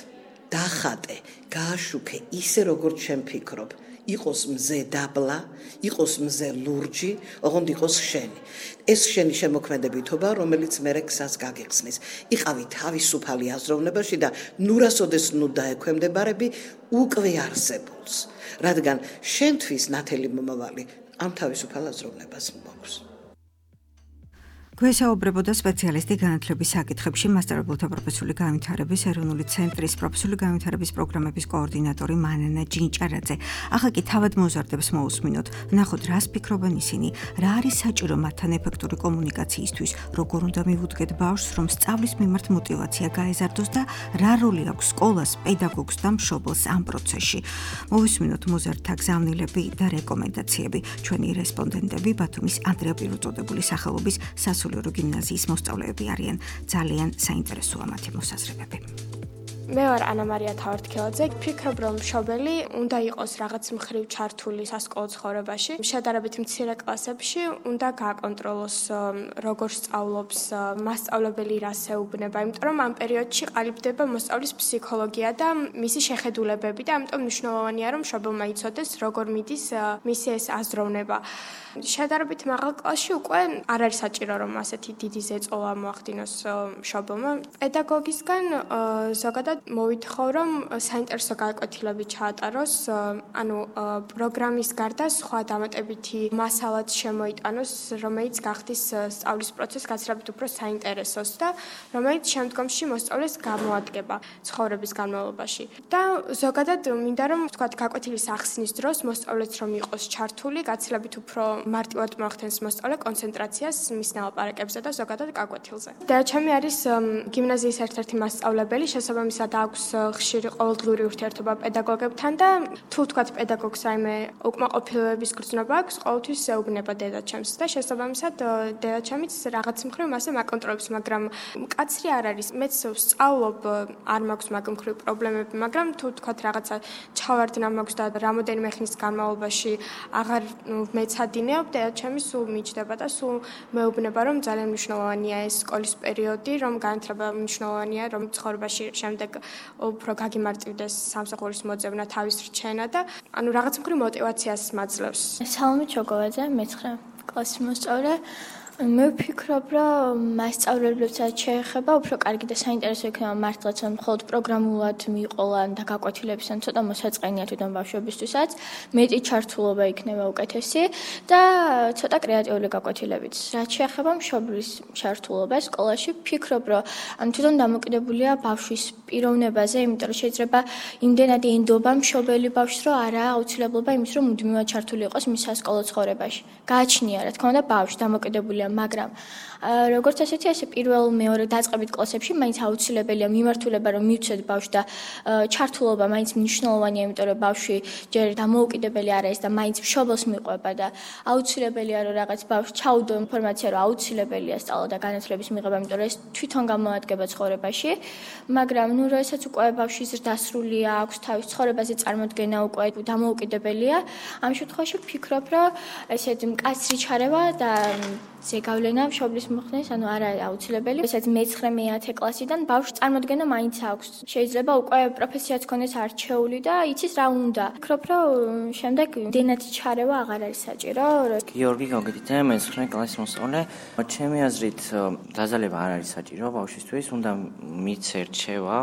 დახატე, გააშუქე ისე, როგორც შენ ფიქრობ. იყოს მზე დაბლა, იყოს მზე ლურჯი, ოღონდ იყოს შენი. ეს შენი შემოქმედებითობა, რომელიც მერე გზას გაგიხსნის. იყავი თავისუფალი აზროვნებაში და ნურასოდეს ნუ დაექვემდებარები უკვე არსებულს, რადგან შენთვის ნათელი მომავალი ამ თავისუფალ აზროვნებას მოაქვს. გვესაუბრებოდა სპეციალისტი განათლების საკითხებში მასწავლებელთა პროფესიული განვითარების ეროვნული ცენტრის პროფესიული განვითარების პროგრამების კოორდინატორი მანენა ჯინჭარაძე. ახლა კი თავად მოზარდებს მოусმინოთ, ვნახოთ რას ფიქრობენ ისინი, რა არის საჭირო მათთან ეფექტური კომუნიკაციისთვის, როგორ უნდა მივუდგეთ ბავშვს, რომ სწავლის მიმართ мотиваცია გაეზარდოს და რა როლი აქვს სკოლას, პედაგოგს და მშობელს ამ პროცესში. მოვისმინოთ მოზარდთა გზავნილები და რეკომენდაციები. ჩვენი რესპონდენტები ბათუმის ანდრია პირუწოდებული სახელობის სასულიერო გიმნაზიის მოსწავლეები არიან. ძალიან საინტერესოა მათი მოსაზრებები. მე ვარ ანა მარია თავართქელაძე. ფიქრობ, რომ მშობელი უნდა იყოს რაღაც მხრივ ჩართული სასკოლო ცხოვრებაში. შედარებით მცირე კლასებში უნდა გააკონტროლოს, როგორ სწავლობს მასწავლებელი, რას ეუბნება, იმიტომ რომ ამ პერიოდში ყალიბდება მოსწავლის ფსიქოლოგია და მისი შეხედულებები და ამიტომ მნიშვნელოვანია, რომ მშობელმა იცოდეს, როგორ მიდის მისი ეს აზროვნება. შედარებით მაღალ კლასში უკვე არ არის საჭირო, რომ ასეთი დიდი ზეწოლა მოახდინოს მშობელმა. პედაგოგისგან ზოგადად მოვითხოვ, რომ საინტერესო გაკვეთილები ჩაატაროს, ანუ პროგრამის გარდა სხვა დამატებითი მასალაც შემოიტანოს, რომელიც გახდის სწავლის პროცესს გაცილებით უფრო საინტერესოს და რომელიც შემდგომში მოსწავლეს გამოადგება ცხოვრების განმავლობაში. და ზოგადად მინდა რომ ვთქვათ გაკვეთილის ახსნის დროს მოსწავლეც რომ იყოს ჩართული, გაცილებით უფრო მარტივად მოახდენს მოსწავლე კონცენტრაციას მის ნელაპარაკებზე და ზოგადად გაკვეთილზე. დედაჩემი არის გიმნაზიის ერთ-ერთი მასწავლებელი, შესაბამისად აქვს ხშირი ყოველდღიური ურთიერთობა პედაგოგებთან და თუ ვთქვათ პედაგოგს რაიმე უკმაყოფილებების გრძნობა აქვს, ყოველთვის ეუბნება დედაჩემს და შესაბამისად დედაჩემიც რაღაც მხრივ მასე მაკონტროლებს, მაგრამ მკაცრი არ არის. მეც ვსწავლობ, არ მაქვს მაგ მხრივ პრობლემები, მაგრამ თუ ვთქვათ რაღაცა ჩავარდნა მაქვს და რამოდენიმე ხნის განმავლობაში აღარ მეცადინეობ, დედაჩემი სულ მიჩდება და სულ მეუბნება, რომ ძალიან მნიშვნელოვანია ეს სკოლის პერიოდი, რომ განათლება მნიშვნელოვანია, რომ ცხოვრებაში შემდეგ უფრო გაგიმარტივდეს სამსახურის მოძებნა, თავის რჩენა და ანუ რაღაც მხრივ мотиваციას მაძლევს. სალომე ჩოგოვაძე, მეცხრე კლასის მოსწავლე. მე ვფიქრობ, რომ მასწავლებლებსაც შეეხება უფრო კარგი და საინტერესო იქნება მართლაც, რომ მხოლოდ პროგრამულად მიიყოლან და გაკვეთილებისგან ცოტა მოსაწყენია თვითონ ბავშვებისთვისაც, მეტი ჩართულობა იქნება უკეთესი და ცოტა კრეატიული გაკვეთილებიც. რაც შეეხება მშობლის ჩართულობას სკოლაში, ვფიქრობ, რომ ან თვითონ დამოკიდებულია ბავშვის პიროვნებაზე, იმიტომ რომ შეიძლება იმდენად ენდობა მშობელი ბავშვს, რომ არა აუცილებლობა იმის, რომ მუდმივად ჩართული იყოს მის სასკოლო ცხოვრებაში. გააჩნია, რა თქმა უნდა, ბავშვი დამოკიდებულია, მაგრამ როგორც ასეთი ასე პირველ მეორე დაწყებით კლასებში მაინც აუცილებელია მიმართულება რომ მივცეთ ბავშვს და ჩართულობა მაინც მნიშვნელოვანია, იმიტომ რომ ბავშვი ჯერ დამოუკიდებელი არ არის და მაინც მშობელს მიყვება და აუცილებელია რომ რაღაც ბავშვს ჩაუდო ინფორმაცია რომ აუცილებელია სწავლა და განათლების მიღება, იმიტომ რომ ეს თვითონ გამოადგება ცხოვრებაში, მაგრამ ნუ როდესაც უკვე ბავშვი ზრდასრულია, აქვს თავის ცხოვრებაზე წარმოდგენა უკვე დამოუკიდებელია, ამ შემთხვევაში ვფიქრობ, რომ ესეთ მკაცრი ჩარევა და ზეგავლენა მშობლის მოხდენის, ანუ არა აუცილებელი. ესეც მეცხრე მეათე კლასიდან ბავშვს წარმოდგენა მაინც აქვს. შეიძლება უკვე პროფესიაც ქონდეს არჩეული და იცის რა უნდა. ვფიქრობ, რომ შემდეგ დენათი ჩარევა აღარ არის საჭირო. გიორგი გოგიტე, მეცხრე კლასის მოსწავლე. ჩემი აზრით, დაზალება არ არის საჭირო ბავშვისთვის, უნდა მიცე რჩევა,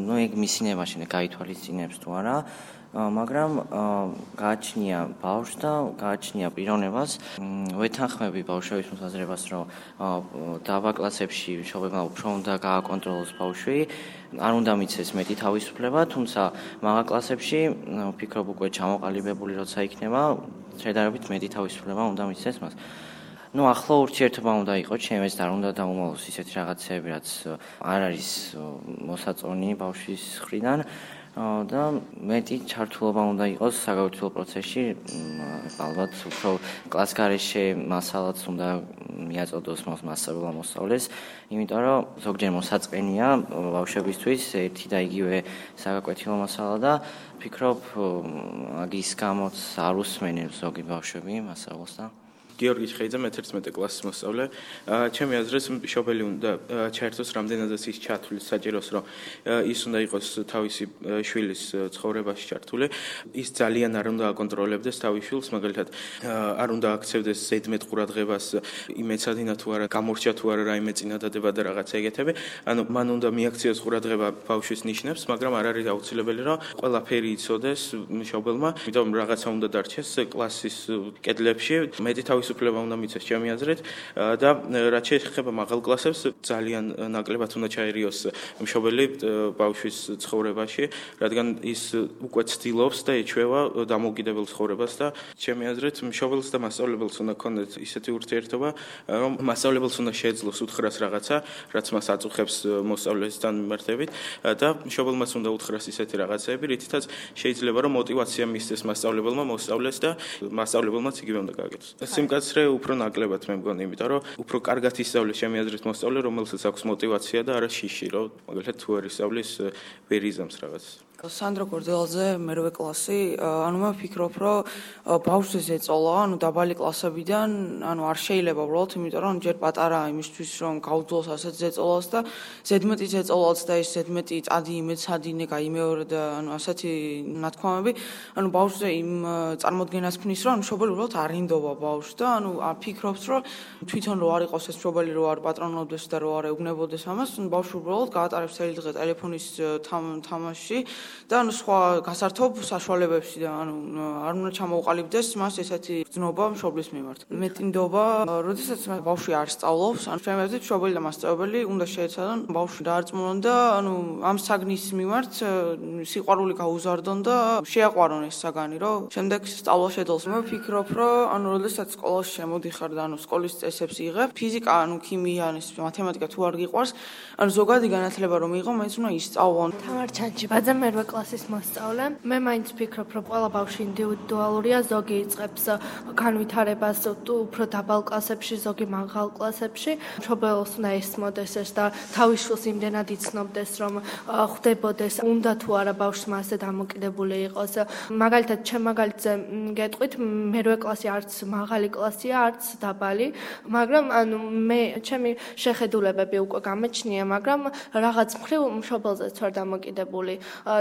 ნუ ეგ მისინებაში გაითვალისწინებს თუ არა. მაგრამ გააჩნია ბავშვს და გააჩნია პიროვნებას. ვეთანხმები ბავშვების მოსაზრებას, რომ დაბა კლასებში მშობლებმა უფრო უნდა გააკონტროლოს ბავშვი, არ უნდა მიცეს მეტი თავისუფლება, თუმცა მაღალ კლასებში ვფიქრობ უკვე ჩამოყალიბებული როცა იქნება, შედარებით მეტი თავისუფლება უნდა მიცეს მას. ნუ ახლო ურთიერთობა უნდა იყოს, ჩემს და არ უნდა დაუმალოს ისეთი რაღაცები, რაც არ არის მოსაწონი ბავშვის მხრიდან. და მეტი ჩართულობა უნდა იყოს საგაკვეთილო პროცესში, ალბათ უფრო კლასგარეშე მასალაც უნდა მიაწოდოს მასწავლებლმა მოსწავლეს, იმიტომ რომ ზოგჯერ მოსაწყენია ბავშვებისთვის ერთი და იგივე საგაკვეთილო მასალა და ვფიქრობ, მაგის გამოც არ უსმენებს ზოგი ბავშვები მასწავლოს და გიორგი ხეიძე, მეთერთმეტე კლასის მოსწავლე. ჩემი აზრით, მშობელი უნდა ჩაერთოს რამდენადაც ის ჩათვლის საჭიროს, რომ ის უნდა იყოს თავისი შვილის ცხოვრებაში ჩართული. ის ძალიან არ უნდა აკონტროლებდეს თავის შვილს, მაგალითად, არ უნდა აქცევდეს ზედმეტ ყურადღებას იმ ეცადინა თუ არა, გამორჩა თუ არა რაიმე წინადადება და რაღაცა ეგეთები. ანუ მან უნდა მიაქციოს ყურადღება ბავშვის ნიშნებს, მაგრამ არ არის აუცილებელი, რომ ყველაფერი იცოდეს მშობელმა, იმიტომ რაღაცა უნდა დარჩეს კლასის კედლებში, მეტი თავის უფლება უნდა მიცეს ჩემი აზრით და რაც შეეხება მაღალ კლასებს ძალიან ნაკლებად უნდა ჩაერიოს მშობელი ბავშვის ცხოვრებაში, რადგან ის უკვე ცდილობს და ეჩვევა დამოუკიდებელ ცხოვრებას და ჩემი აზრით მშობელს და მასწავლებელს უნდა ქონდეს ისეთი ურთიერთობა, რომ მასწავლებელს უნდა შეეძლოს უთხრას რაღაცა, რაც მას აწუხებს მოსწავლესთან მიმართებით და მშობელმაც უნდა უთხრას ისეთი რაღაცები, რითაც შეიძლება რომ мотиваცია მისცეს მასწავლებელმა მოსწავლეს და მასწავლებელმაც იგივე უნდა გააკეთოს. კაცრე უფრო ნაკლებად მე მგონი, იმიტომ რომ უფრო კარგად ისწავლის ჩემი აზრით მოსწავლე, რომელსაც აქვს мотиваცია და არა შიში, რომ მაგალითად თუ არ ისწავლის ვერ იზამს რაღაცას. სანდრო გორდელაძე, მერვე კლასი. ანუ მე ვფიქრობ, რომ ბავშვს ეწოლა, ანუ დაბალი კლასებიდან, ანუ არ შეიძლება უბრალოდ, იმიტომ რომ ჯერ პატარა იმისთვის, რომ გაუძლოს ასეთ ზეწოლას და ზედმეტი ზეწოლაც და ეს ზედმეტი წადი იმეცადინე, გაიმეორე და ანუ ასეთი ნათქვამები, ანუ ბავშვზე იმ წარმოდგენას ქმნის, რომ ანუ მშობელი უბრალოდ არ ინდობა ბავშვს და ანუ ფიქრობს, რომ თვითონ რო არ იყოს ეს მშობელი, რო არ პატრონობდეს და რო არ ეუბნებოდეს ამას, ბავშვი უბრალოდ გაატარებს წელი დღე ტელეფონის თამაში და ანუ სხვა გასართობ საშუალებებში და ანუ არ უნდა ჩამოუყალიბდეს მას ესეთი გზნობა მშობლის მიმართ. მეტინდობა, როდესაც ბავშვი არ სწავლობს, ანუ შემეძლებს მშობელი და მასწავლებელი უნდა შეეცადონ ბავშვი დაარწმუნონ და ანუ ამ საგნის მიმართ სიყვარული გაუზარდონ და შეაყვარონ ეს საგანი, რომ შემდეგ სწავლა შეძლოს. მე ვფიქრობ, რომ ანუ როდესაც სკოლაში შემოდიხარ და ანუ სკოლის წესებს იღებ, ფიზიკა, ანუ ქიმია, მათემატიკა თუ არ გიყვარს, ანუ ზოგადი განათლება რომ მიიღო, მაინც უნდა ისწავლონ. თამარ ჩანჩიბაძე, მერვე კლასის მოსწავლე. მე მაინც ვფიქრობ, რომ ყველა ბავშვი ინდივიდუალურია, ზოგი იწყებს განვითარებას უფრო დაბალ კლასებში, ზოგი მაღალ კლასებში. მშობელს უნდა ესმოდეს ეს და თავის შვილს იმდენად იცნობდეს, რომ ხვდებოდეს, უნდა თუ არა ბავშვს მასზე დამოკიდებული იყოს. მაგალითად, ჩემ მაგალითზე გეტყვით, მერვე კლასი არც მაღალი კლასია, არც დაბალი, მაგრამ ანუ მე ჩემი შეხედულებები უკვე გამეჩნია, მაგრამ რაღაც მხრივ მშობელზეც ვარ დამოკიდებული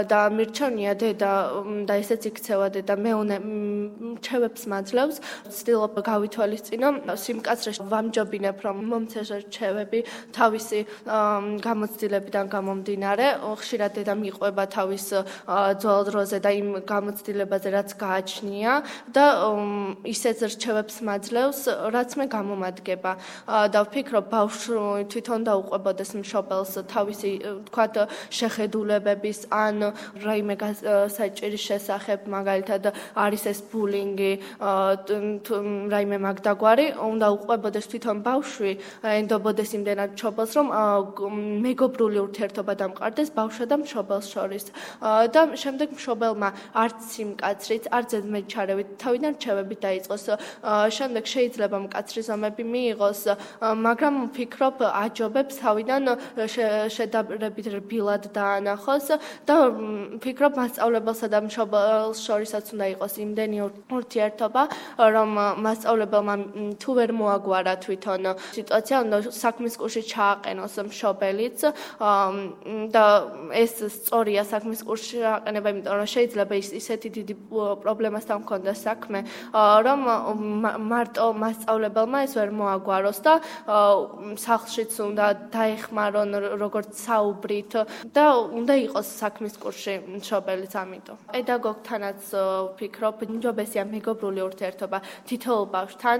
და მირჩევნია დედა და ესეც იქცევა დედა მეუნე რჩევებს მაძლევს, ვცდილობ გავითვალისწინო სიმკაცრეში ვამჯობინებ, რომ მომცეს რჩევები თავისი გამოცდილებიდან გამომდინარე, ხშირად დედა მიყვება თავის ძველ დროზე და იმ გამოცდილებაზე, რაც გააჩნია და ისეთ რჩევებს მაძლევს, რაც მე გამომადგება და ვფიქრობ, ბავშვი თვითონ დაუყვებოდეს მშობელს თავისი, თქვათ, შეხედულებების ან რაიმე საჭირის შესახებ, მაგალითად არის ეს ბულინგი, რაიმე მაგდაგვარი, უნდა უყვებოდეს თვითონ ბავშვი, ენდობოდეს იმდენად მშობელს, რომ მეგობრული ურთიერთობა დამყარდეს ბავშვსა და მშობელს შორის და შემდეგ მშობელმა არც სიმკაცრით, არც ზედმეტჩარევით თავიდან რჩევებით დაიწყოს. შემდეგ შეიძლება მკაცრი ზომები მიიღოს, მაგრამ ვფიქრობ, აჯობებს თავიდან შედარებით რბილად დაანახოს და ვფიქრობ, მასწავლებელსა და მშობელს შორისაც უნდა იყოს იმდენი ურთიერთობა, რომ მასწავლებელმა თუ ვერ მოაგვარა თვითონ სიტუაცია, უნდა საქმის კურსში ჩააყენოს მშობელიც და ეს სწორია საქმის კურსში ჩააყენება, იმიტომ რომ შეიძლება ისეთი დიდი პრობლემასთან მქონდეს საქმე, რომ მარტო მასწავლებელმა ეს ვერ მოაგვაროს და სახლშიც უნდა დაეხმარონ როგორც საუბრით და უნდა იყოს საქმის კურსში მშობელიც ამიტომ. პედაგოგთანაც ვფიქრობ, ნიჭობესია მეგობრული ურთიერთობა თითოეულ ბავშვთან.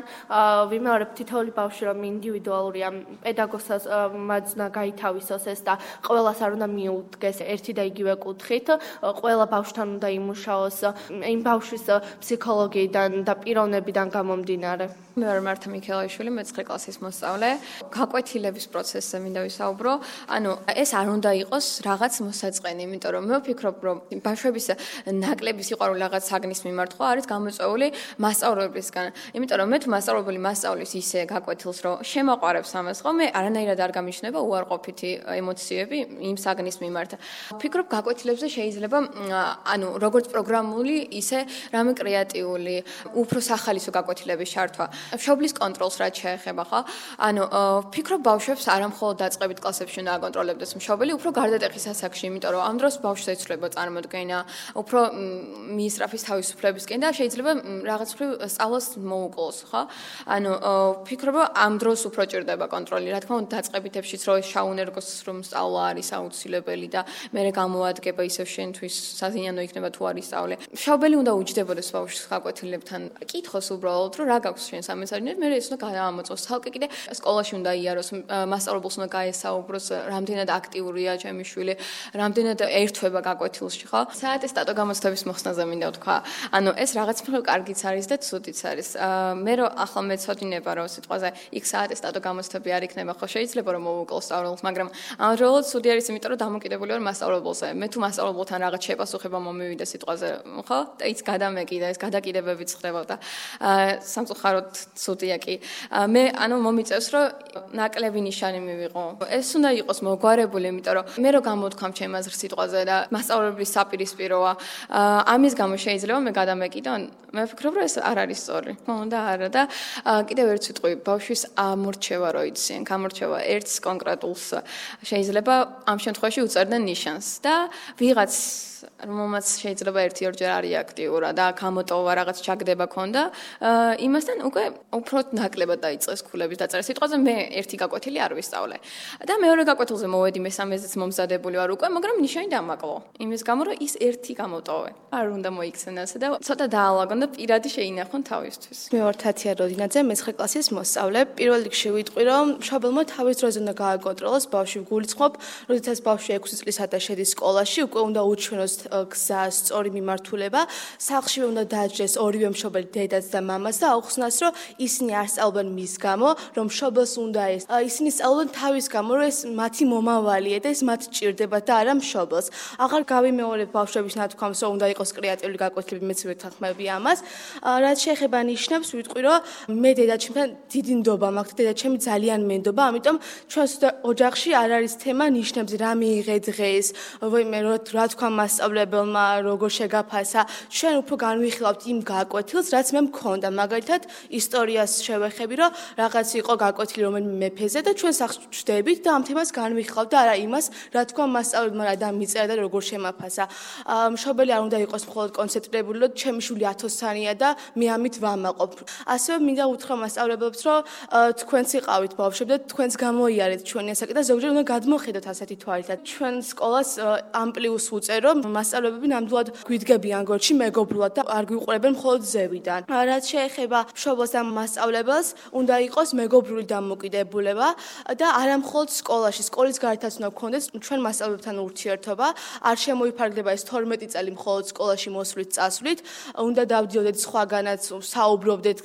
ვიმეორებ, თითოეული ბავშვი რომ ინდივიდუალურია, პედაგოგსაც უნდა გაითავისოს ეს და ყველას არ უნდა მიუდგეს ერთი და იგივე კუთხით. ყველა ბავშვთან უნდა იმუშაოს იმ ბავშვის ფსიქოლოგიიდან და პიროვნებიდან გამომდინარე. მე ვარ მართა მიქელაიშვილი, მეცხრე კლასის მოსწავლე. გაკვეთილების პროცესზე მინდა ვისაუბრო. ანუ ეს არ უნდა იყოს რაღაც მოსაწყენი, იმიტომ რომ მე ვფიქრობ, რომ ბავშვების ნაკლები სიყვარული რაღაც საგნის მიმართ ხო არის გამოწვეული მასწავლებლისგან. იმიტომ რომ მე თუ მასწავლებელი მასწავლის ისე გაკვეთილს, რომ შემაყვარებს ამას, ხო, მე არანაირად არ გამიჩნდება უარყოფითი ემოციები იმ საგნის მიმართ. ვფიქრობ, გაკვეთილებზე შეიძლება ანუ როგორც პროგრამული, ისე რამე კრეატიული, უფრო სახალისო გაკვეთილების ჩართვა. მშობლის კონტროლს რაც შეეხება, ხო? ანუ ვფიქრობ, ბავშვებს არა მხოლოდ დაწყებით კლასებში უნდა აკონტროლებდეს მშობელი, უფრო გარდატეხის ასაკში, იმიტომ რომ ამ დროს ბავშვს ეცვლება წარმოდგენა, უფრო მიისწრაფის თავისუფლებისკენ და შეიძლება რაღაც მხრივ სწავლას მოუკლოს, ხო? ანუ ვფიქრობ, ამ დროს უფრო ჭირდება კონტროლი. რა თქმა უნდა, დაწყებითებშიც რო შაუნერგოს რომ სწავლა არის აუცილებელი და მე გამოადგება ისევ შენთვის საზიანო იქნება თუ არის სწავლე. მშობელი უნდა უჯდებოდეს ბავშვს გაკვეთილებთან. კითხოს უბრალოდ, რომ რა გაქვს შენ სამეცნიეროდ, მე ეს უნდა გაამოწოს. თალკე კიდე სკოლაში უნდა იაროს, მასწავლებელს უნდა გაესაუბროს, რამდენად აქტიურია ჩემი შვილი, რამდენად ერთვება გაკვეთილში, ხო? საატესტატო გამოცდების მოხსნაზე მინდა ვთქვა. ანუ ეს რაღაც მხრივ კარგიც არის და ცუდიც არის. მე რო ახლა მეცოდინება, რომ სიტყვაზე იქ საატესტატო გამოცდები არ იქნება, ხო შეიძლება რომ მოვუკლო სწავლულს, მაგრამ ამჟამად ცუდი არის, იმიტომ რომ დამოკიდებული ვარ მასწავლებელზე. მე თუ მასწავლებელთან რაღაც შეპასუხება მომივიდა სიტყვაზე, ხო? და ის გადამეკიდა, ეს გადაკიდებებიც ხდებოდა. სამწუხაროდ ცუდია კი. მე ანუ მომიწევს რომ ნაკლები ნიშანი მივიღო. ეს უნდა იყოს მოგვარებული, იმიტომ რომ მე რო გამოთქვამ ჩემ აზრს სიტყვაზე და მასწავლებლის საპირისპიროა. ამის გამო შეიძლება მე გადამეკიდო, მე ვფიქრობ რომ ეს არ არის სწორი. ხო და არა და კიდევ ერთ სიტყვი ბავშვის ამორჩევა რო იციან, გამორჩევა ერთს კონკრეტულს შეიძლება ამ შემთხვევაში უწერდნენ ნიშანს და ვიღაც რომელმაც შეიძლება ერთი-ორჯერ არის აქტიურა და გამოტოვა რაღაც ჩაგდება ქონდა, იმასთან უკვე უფრო ნაკლებად დაიწყეს ქულების დაწერა. სიტყვაზე მე ერთი გაკვეთილი არ ვისწავლე. და მეორე გაკვეთილზე მოვედი, მესამეზეც მომზადებული ვარ უკვე, მაგრამ ნიშანი დამაკლო. იმის გამო რომ ის ერთი გამოტოვე. არ უნდა მოიქცენ ასე და ცოტა დაალაგონ და პირადი შეინახონ თავისთვის. მე ვარ თათია როდინაძე, მეცხრე კლასის მოსწავლე. პირველ რიგში ვიტყვი, რომ მშობელმა თავის დროზე უნდა გააკონტროლოს ბავშვი გულისხმობ, როდესაც ბავშვი ექვსი წლისა და შედის სკოლაში, უკვე უნდა უჩვენოს გზა, სწორი მიმართულება. სახლში უნდა დააჯდეს ორივე მშობელი, დედაც და მამას და აუხსნას, რომ ისინი არ სწავლობენ მის გამო, რომ მშობელს უნდა ეს. ისინი სწავლობენ თავის გამო, რომ ეს მათი მომავალია და ეს მათ ჭირდება და არა მშობელს. აღარ გავიმეორებ ბავშვების ნათქვამს, რომ უნდა იყოს კრეატიული გაკვეთილები, მეც ვეთანხმები ამას. რაც შეეხება ნიშნებს, ვიტყვი, რომ მე დედაჩემთან დიდი ნდობა მაქვს, დედაჩემი ძალიან მენდობა, ამიტომ ჩვენს ოჯახში არ არის თემა ნიშნებს, რა მიიღე დღეს, ვაიმე რა თქვა მასწავლებელმა, როგორ შეგაფასა. ჩვენ უფრო განვიხილავთ იმ გაკვეთილს, რაც მე მქონდა. მაგალითად, ისტორიას შევეხები, რომ რაღაც იყო გაკვეთილი რომელიმე მეფეზე და ჩვენ სახლში ვждებით და ამ თემას განვიხილავთ და არა იმას, რა თქვა მასწავლებელმა რა დამიწერა და როგორ შემაფასა. მშობელი არ უნდა იყოს მხოლოდ კონცენტრირებული, რომ ჩემი შვილი ათოსანია და მე ამით ვამაყობ. ასევე მინდა უთხრა მასწავლებლებს, რომ თქვენც იყავით ბავშვები და თქვენც გამოიარეთ ჩვენი ასაკი და ზოგჯერ უნდა გადმოხედოთ ასეთი თვალითაც. ჩვენ სკოლას ამ პლუს უწერო, მასწავლებები ნამდვილად გვიდგებიან გორჩი მეგობრულად და არ გვიყურებენ მხოლოდ ზევიდან. რაც შეეხება მშობელს და მასწავლებელს, უნდა იყოს მეგობრული დამოკიდებულება და არა მხოლოდ სკოლაში, სკოლის გარეთაც უნდა გქონდეს ჩვენ მასწავლებლებთან ურთიერთობა. არ შემოიფარგლება ეს თორმეტი წელი მხოლოდ სკოლაში მოსვლით, წასვლით. უნდა დავდიოდეთ სხვაგანაც, საუბრობდეთ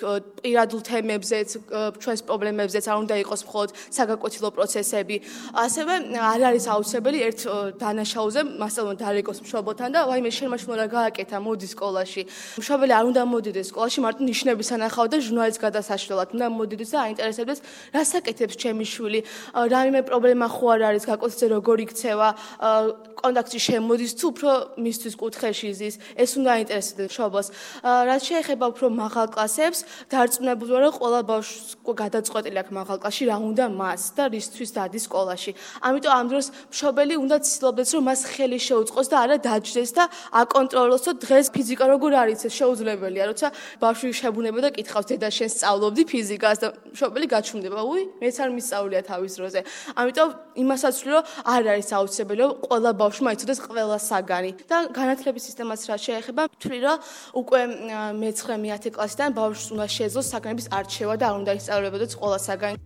პირადულ თემებზეც, ჩვენს პრობლემებზეც, არ უნდა იყოს მხოლოდ საგაკვეთილო პროცესები. ასევე არ არის აუცილებელი ერთ დანაშაულზე მასწავლებელმა დარეკოს მშობელთან და ვაიმე შენ მაშინ რა გააკეთა, მოდი სკოლაში. მშობელი არ უნდა მოდიდეს სკოლაში, მარტო ნიშნების ანახავ და ჟურნალის გადასაშლელად. უნდა მოდიდეს და აინტერესებდეს, რას აკეთებს ჩემი შვილი, რაიმე პრობლემა ხო არ არის, გაკვეთილზე როგორ იქცევა, კონტაქტში შემოდის თუ უფრო მისთვის კუთხეში ზის, ეს უნდა აინტერესებდეს მშობელს. რაც შეეხება უფრო მაღალ კლასებს, დარწმუნებული ვარ, რომ ყველა ბავშვს გადაწყვეტილი აქვს მაღალ კლასში რა უნდა მას და რისთვის დადის სკოლაში. ამიტომ ამ დროს მშობელი უნდა ცდილობდეს, რომ მას ხელი შეუწყოს და არა დაჯდეს და აკონტროლოს, რომ დღეს ფიზიკა როგორ არის, ეს შეუძლებელია, როცა ბავშვი შებუნება და კითხავს, დედა შენ სწავლობდი ფიზიკას და მშობელი გაჩვენდება, უი, მეც არ მისწავლია თავის დროზე. ამიტომ იმასაც ვთვლი, რომ არ არის აუცილებელი, რომ ყველა ბავშვმა იცოდეს ყველა საგანი და განათლების სისტემას რა შეეხება, ვთვლი, რომ უკვე მეცხრე მეათე კლასიდან ბავშვს უნდა შეეძლოს საგანების არჩევა და არ უნდა ისწავლებოდეს ყველა საგანი.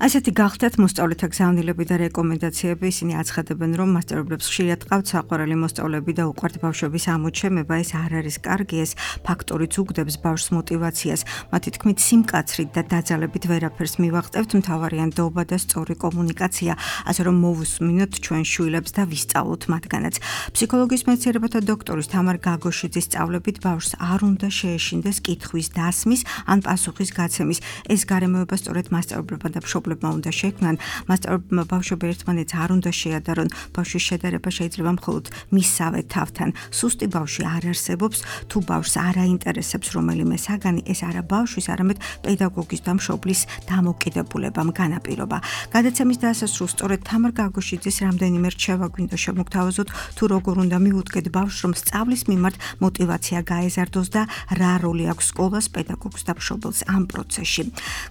ასეთი გახდათ მოსწავლეთა გზავნილები და რეკომენდაციები, ისინი აცხადებენ, რომ მასწავლებლებს ხშირად ყავთ საყვარელი მოსწავლეები და უყვართ ბავშვების ამოჩემება, ეს არ არის კარგი, ეს ფაქტორიც უგდებს ბავშვს მოტივაციას. მათი თქმით, სიმკაცრით და დაძალებით ვერაფერს მივაღწევთ, მთავარია ნდობა და სწორი კომუნიკაცია, ასე რომ მოვუსმინოთ ჩვენ შვილებს და ვისწავლოთ მათგანაც. ფსიქოლოგიის მეცნიერებათა დოქტორის თამარ გაგოშიძის სწავლებით ბავშვს არ უნდა შეეშინდეს კითხვის დასმის ან პასუხის გაცემის. ეს გარემოება სწორედ მასწავლებლებმა და მშობლებმა უნდა შექმნან. მასწავლებლებმა ბავშვები ერთმანეთს არ უნდა შეადარონ. ბავშვის შედარება შეიძლება მხოლოდ მისსავე თავთან. სუსტი ბავშვი არ არსებობს, თუ ბავშვს არ აინტერესებს რომელიმე საგანი, ეს არა ბავშვის, არამედ პედაგოგის და მშობლის დამოკიდებულებამ განაპირობა. გადაცემის დასასრულს სწორედ თამარ გაგოშიძის რამდენიმე რჩევა გვინდა შემოგთავაზოთ, თუ როგორ უნდა მიუდგეთ ბავშვს, რომ სწავლის მიმართ მოტივაცია გაეზარდოს და რა როლი აქვს სკოლას, პედაგოგს და მშობელს ამ პროცესში.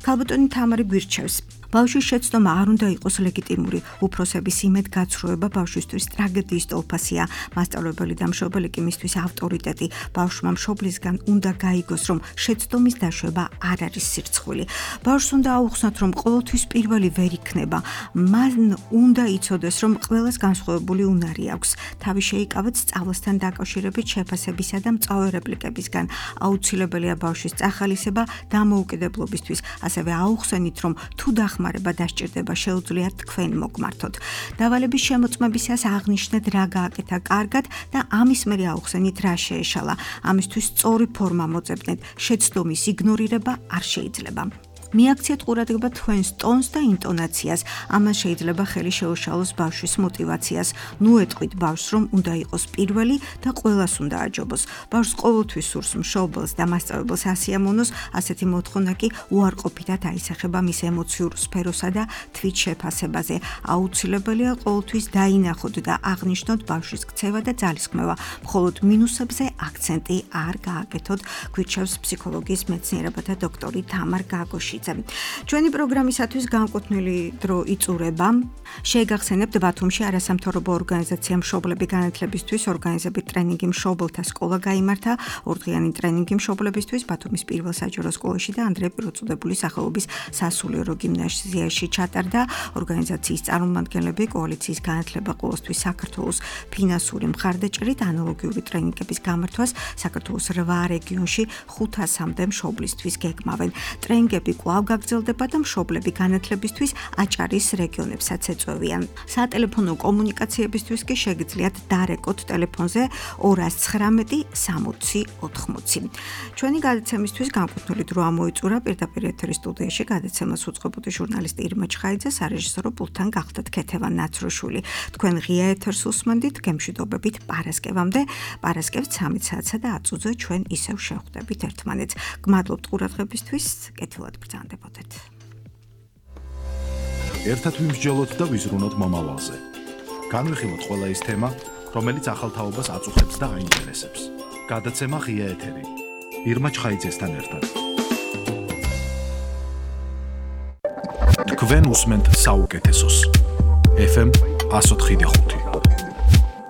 ქალბატონი თამარი გვირჩევს. ბავშვის შეცდომა არ უნდა იყოს ლეგიტიმური. უფროსების იმედგაცრუება ბავშვისთვის ტრაგედიის ტოლფასია. მასწავლებელი და მშობელი კი მისთვის ავტორიტეტი. ბავშვმა მშობლისგან უნდა გაიგოს, რომ შეცდომის დაშვება არ არის სირცხვილი. ბავშვს უნდა აუხსნათ, რომ ყოველთვის პირველი ვერ იქნება. მან უნდა იცოდეს, რომ ყველას განსხვავებული უნარი აქვს. თავი შეიკავეთ სწავლასთან დაკავშირებით შეფასებისა და მწვავე რეპლიკებისგან. აუცილებელია ბავშვის წახალისება დამოუკიდებლობისთვის. ასევე აუხსენით, რომ თუ დახმარებით დახმარება დასჭირდება შეუძლიათ თქვენ მოგმართოთ. დავალების შემოწმებისას აღნიშნეთ რა გააკეთა კარგად და ამის მერე აუხსენით რა შეეშალა. ამისთვის სწორი ფორმა მოძებნეთ. შეცდომის იგნორირება არ შეიძლება. მიაქციეთ ყურადღება თქვენს ტონს და ინტონაციას. ამას შეიძლება ხელი შეუშალოს ბავშვის мотиваციას. ნუ ეტყვით ბავშვს, რომ უნდა იყოს პირველი და ყველას უნდა აჯობოს. ბავშვს ყოველთვის სურს მშობელს და მასწავლებელს ასიამოვნოს, ასეთი მოთხოვნა კი უარყოფითად აისახება მის ემოციურ სფეროსა და თვით შეფასებაზე. აუცილებელია ყოველთვის დაინახოთ და აღნიშნოთ ბავშვის ქცევა და ძალისხმევა. მხოლოდ მინუსებზე აქცენტი არ გააკეთოთ, გვირჩევს ფსიქოლოგიის მეცნიერებათა დოქტორი თამარ გაგოშიძე. ჩვენი პროგრამისათვის განკუთვნილი დრო იწურება. შეგახსენებთ ბათუმში არასამთავრობო ორგანიზაცია მშობლები განათლებისთვის ორგანიზებით ტრენინგი მშობელთა სკოლა გაიმართა. ორდღიანი ტრენინგი მშობლებისთვის ბათუმის პირველ საჯარო სკოლაში და ანდრეა პირველწოდებულის სახელობის სასულიერო გიმნაზიაში ჩატარდა. ორგანიზაციის წარმომადგენლები კოალიციის განათლება ყოველთვის საქართველოს ფინანსური მხარდაჭერით ანალოგიური ტრენინგების გამართვას საქართველოს რვა რეგიონში ხუთასამდე მშობლისთვის გეგმავენ. ტრენინგები კვლავ გაგრძელდება და მშობლები განათლებისთვის აჭარის რეგიონებსაც ეწევიან. სატელეფონო კომუნიკაციებისთვის კი შეგიძლიათ დარეკოთ ტელეფონზე ორას ცხრამეტი სამოცი ოთხმოცი. ჩვენი გადაცემისთვის განკუთვნილი დრო ამოიწურა პირდაპირ ეთერის სტუდიაში გადაცემას უწყებოდი ჟურნალისტი ირმა ჩხაიძე, სარეჟისორო პულტთან გახდათ ქეთევან ნაცროშვილი. თქვენ ღია ეთერს უსმენდით გემშვიდობებით პარასკევამდე. პარასკევს ცამეტ საათსა და ათ წუთზე ჩვენ ისევ შევხვდებით ერთმანეთს. გმადლობთ ყურადღებისთვის, კეთილად ბრძანდებოდეთ. ერთად ვიმსჯელოთ და ვიზრუნოთ მომავალზე. განვიხილოთ ყველა ის თემა, რომელიც ახალ თაობას აწუხებს და აინტერესებს. გადაცემა ღია ეთერი. ირმა ჩხაიძესთან ერთად. თქვენ უსმენთ საუკეთესოს. ეფ ემ one oh five.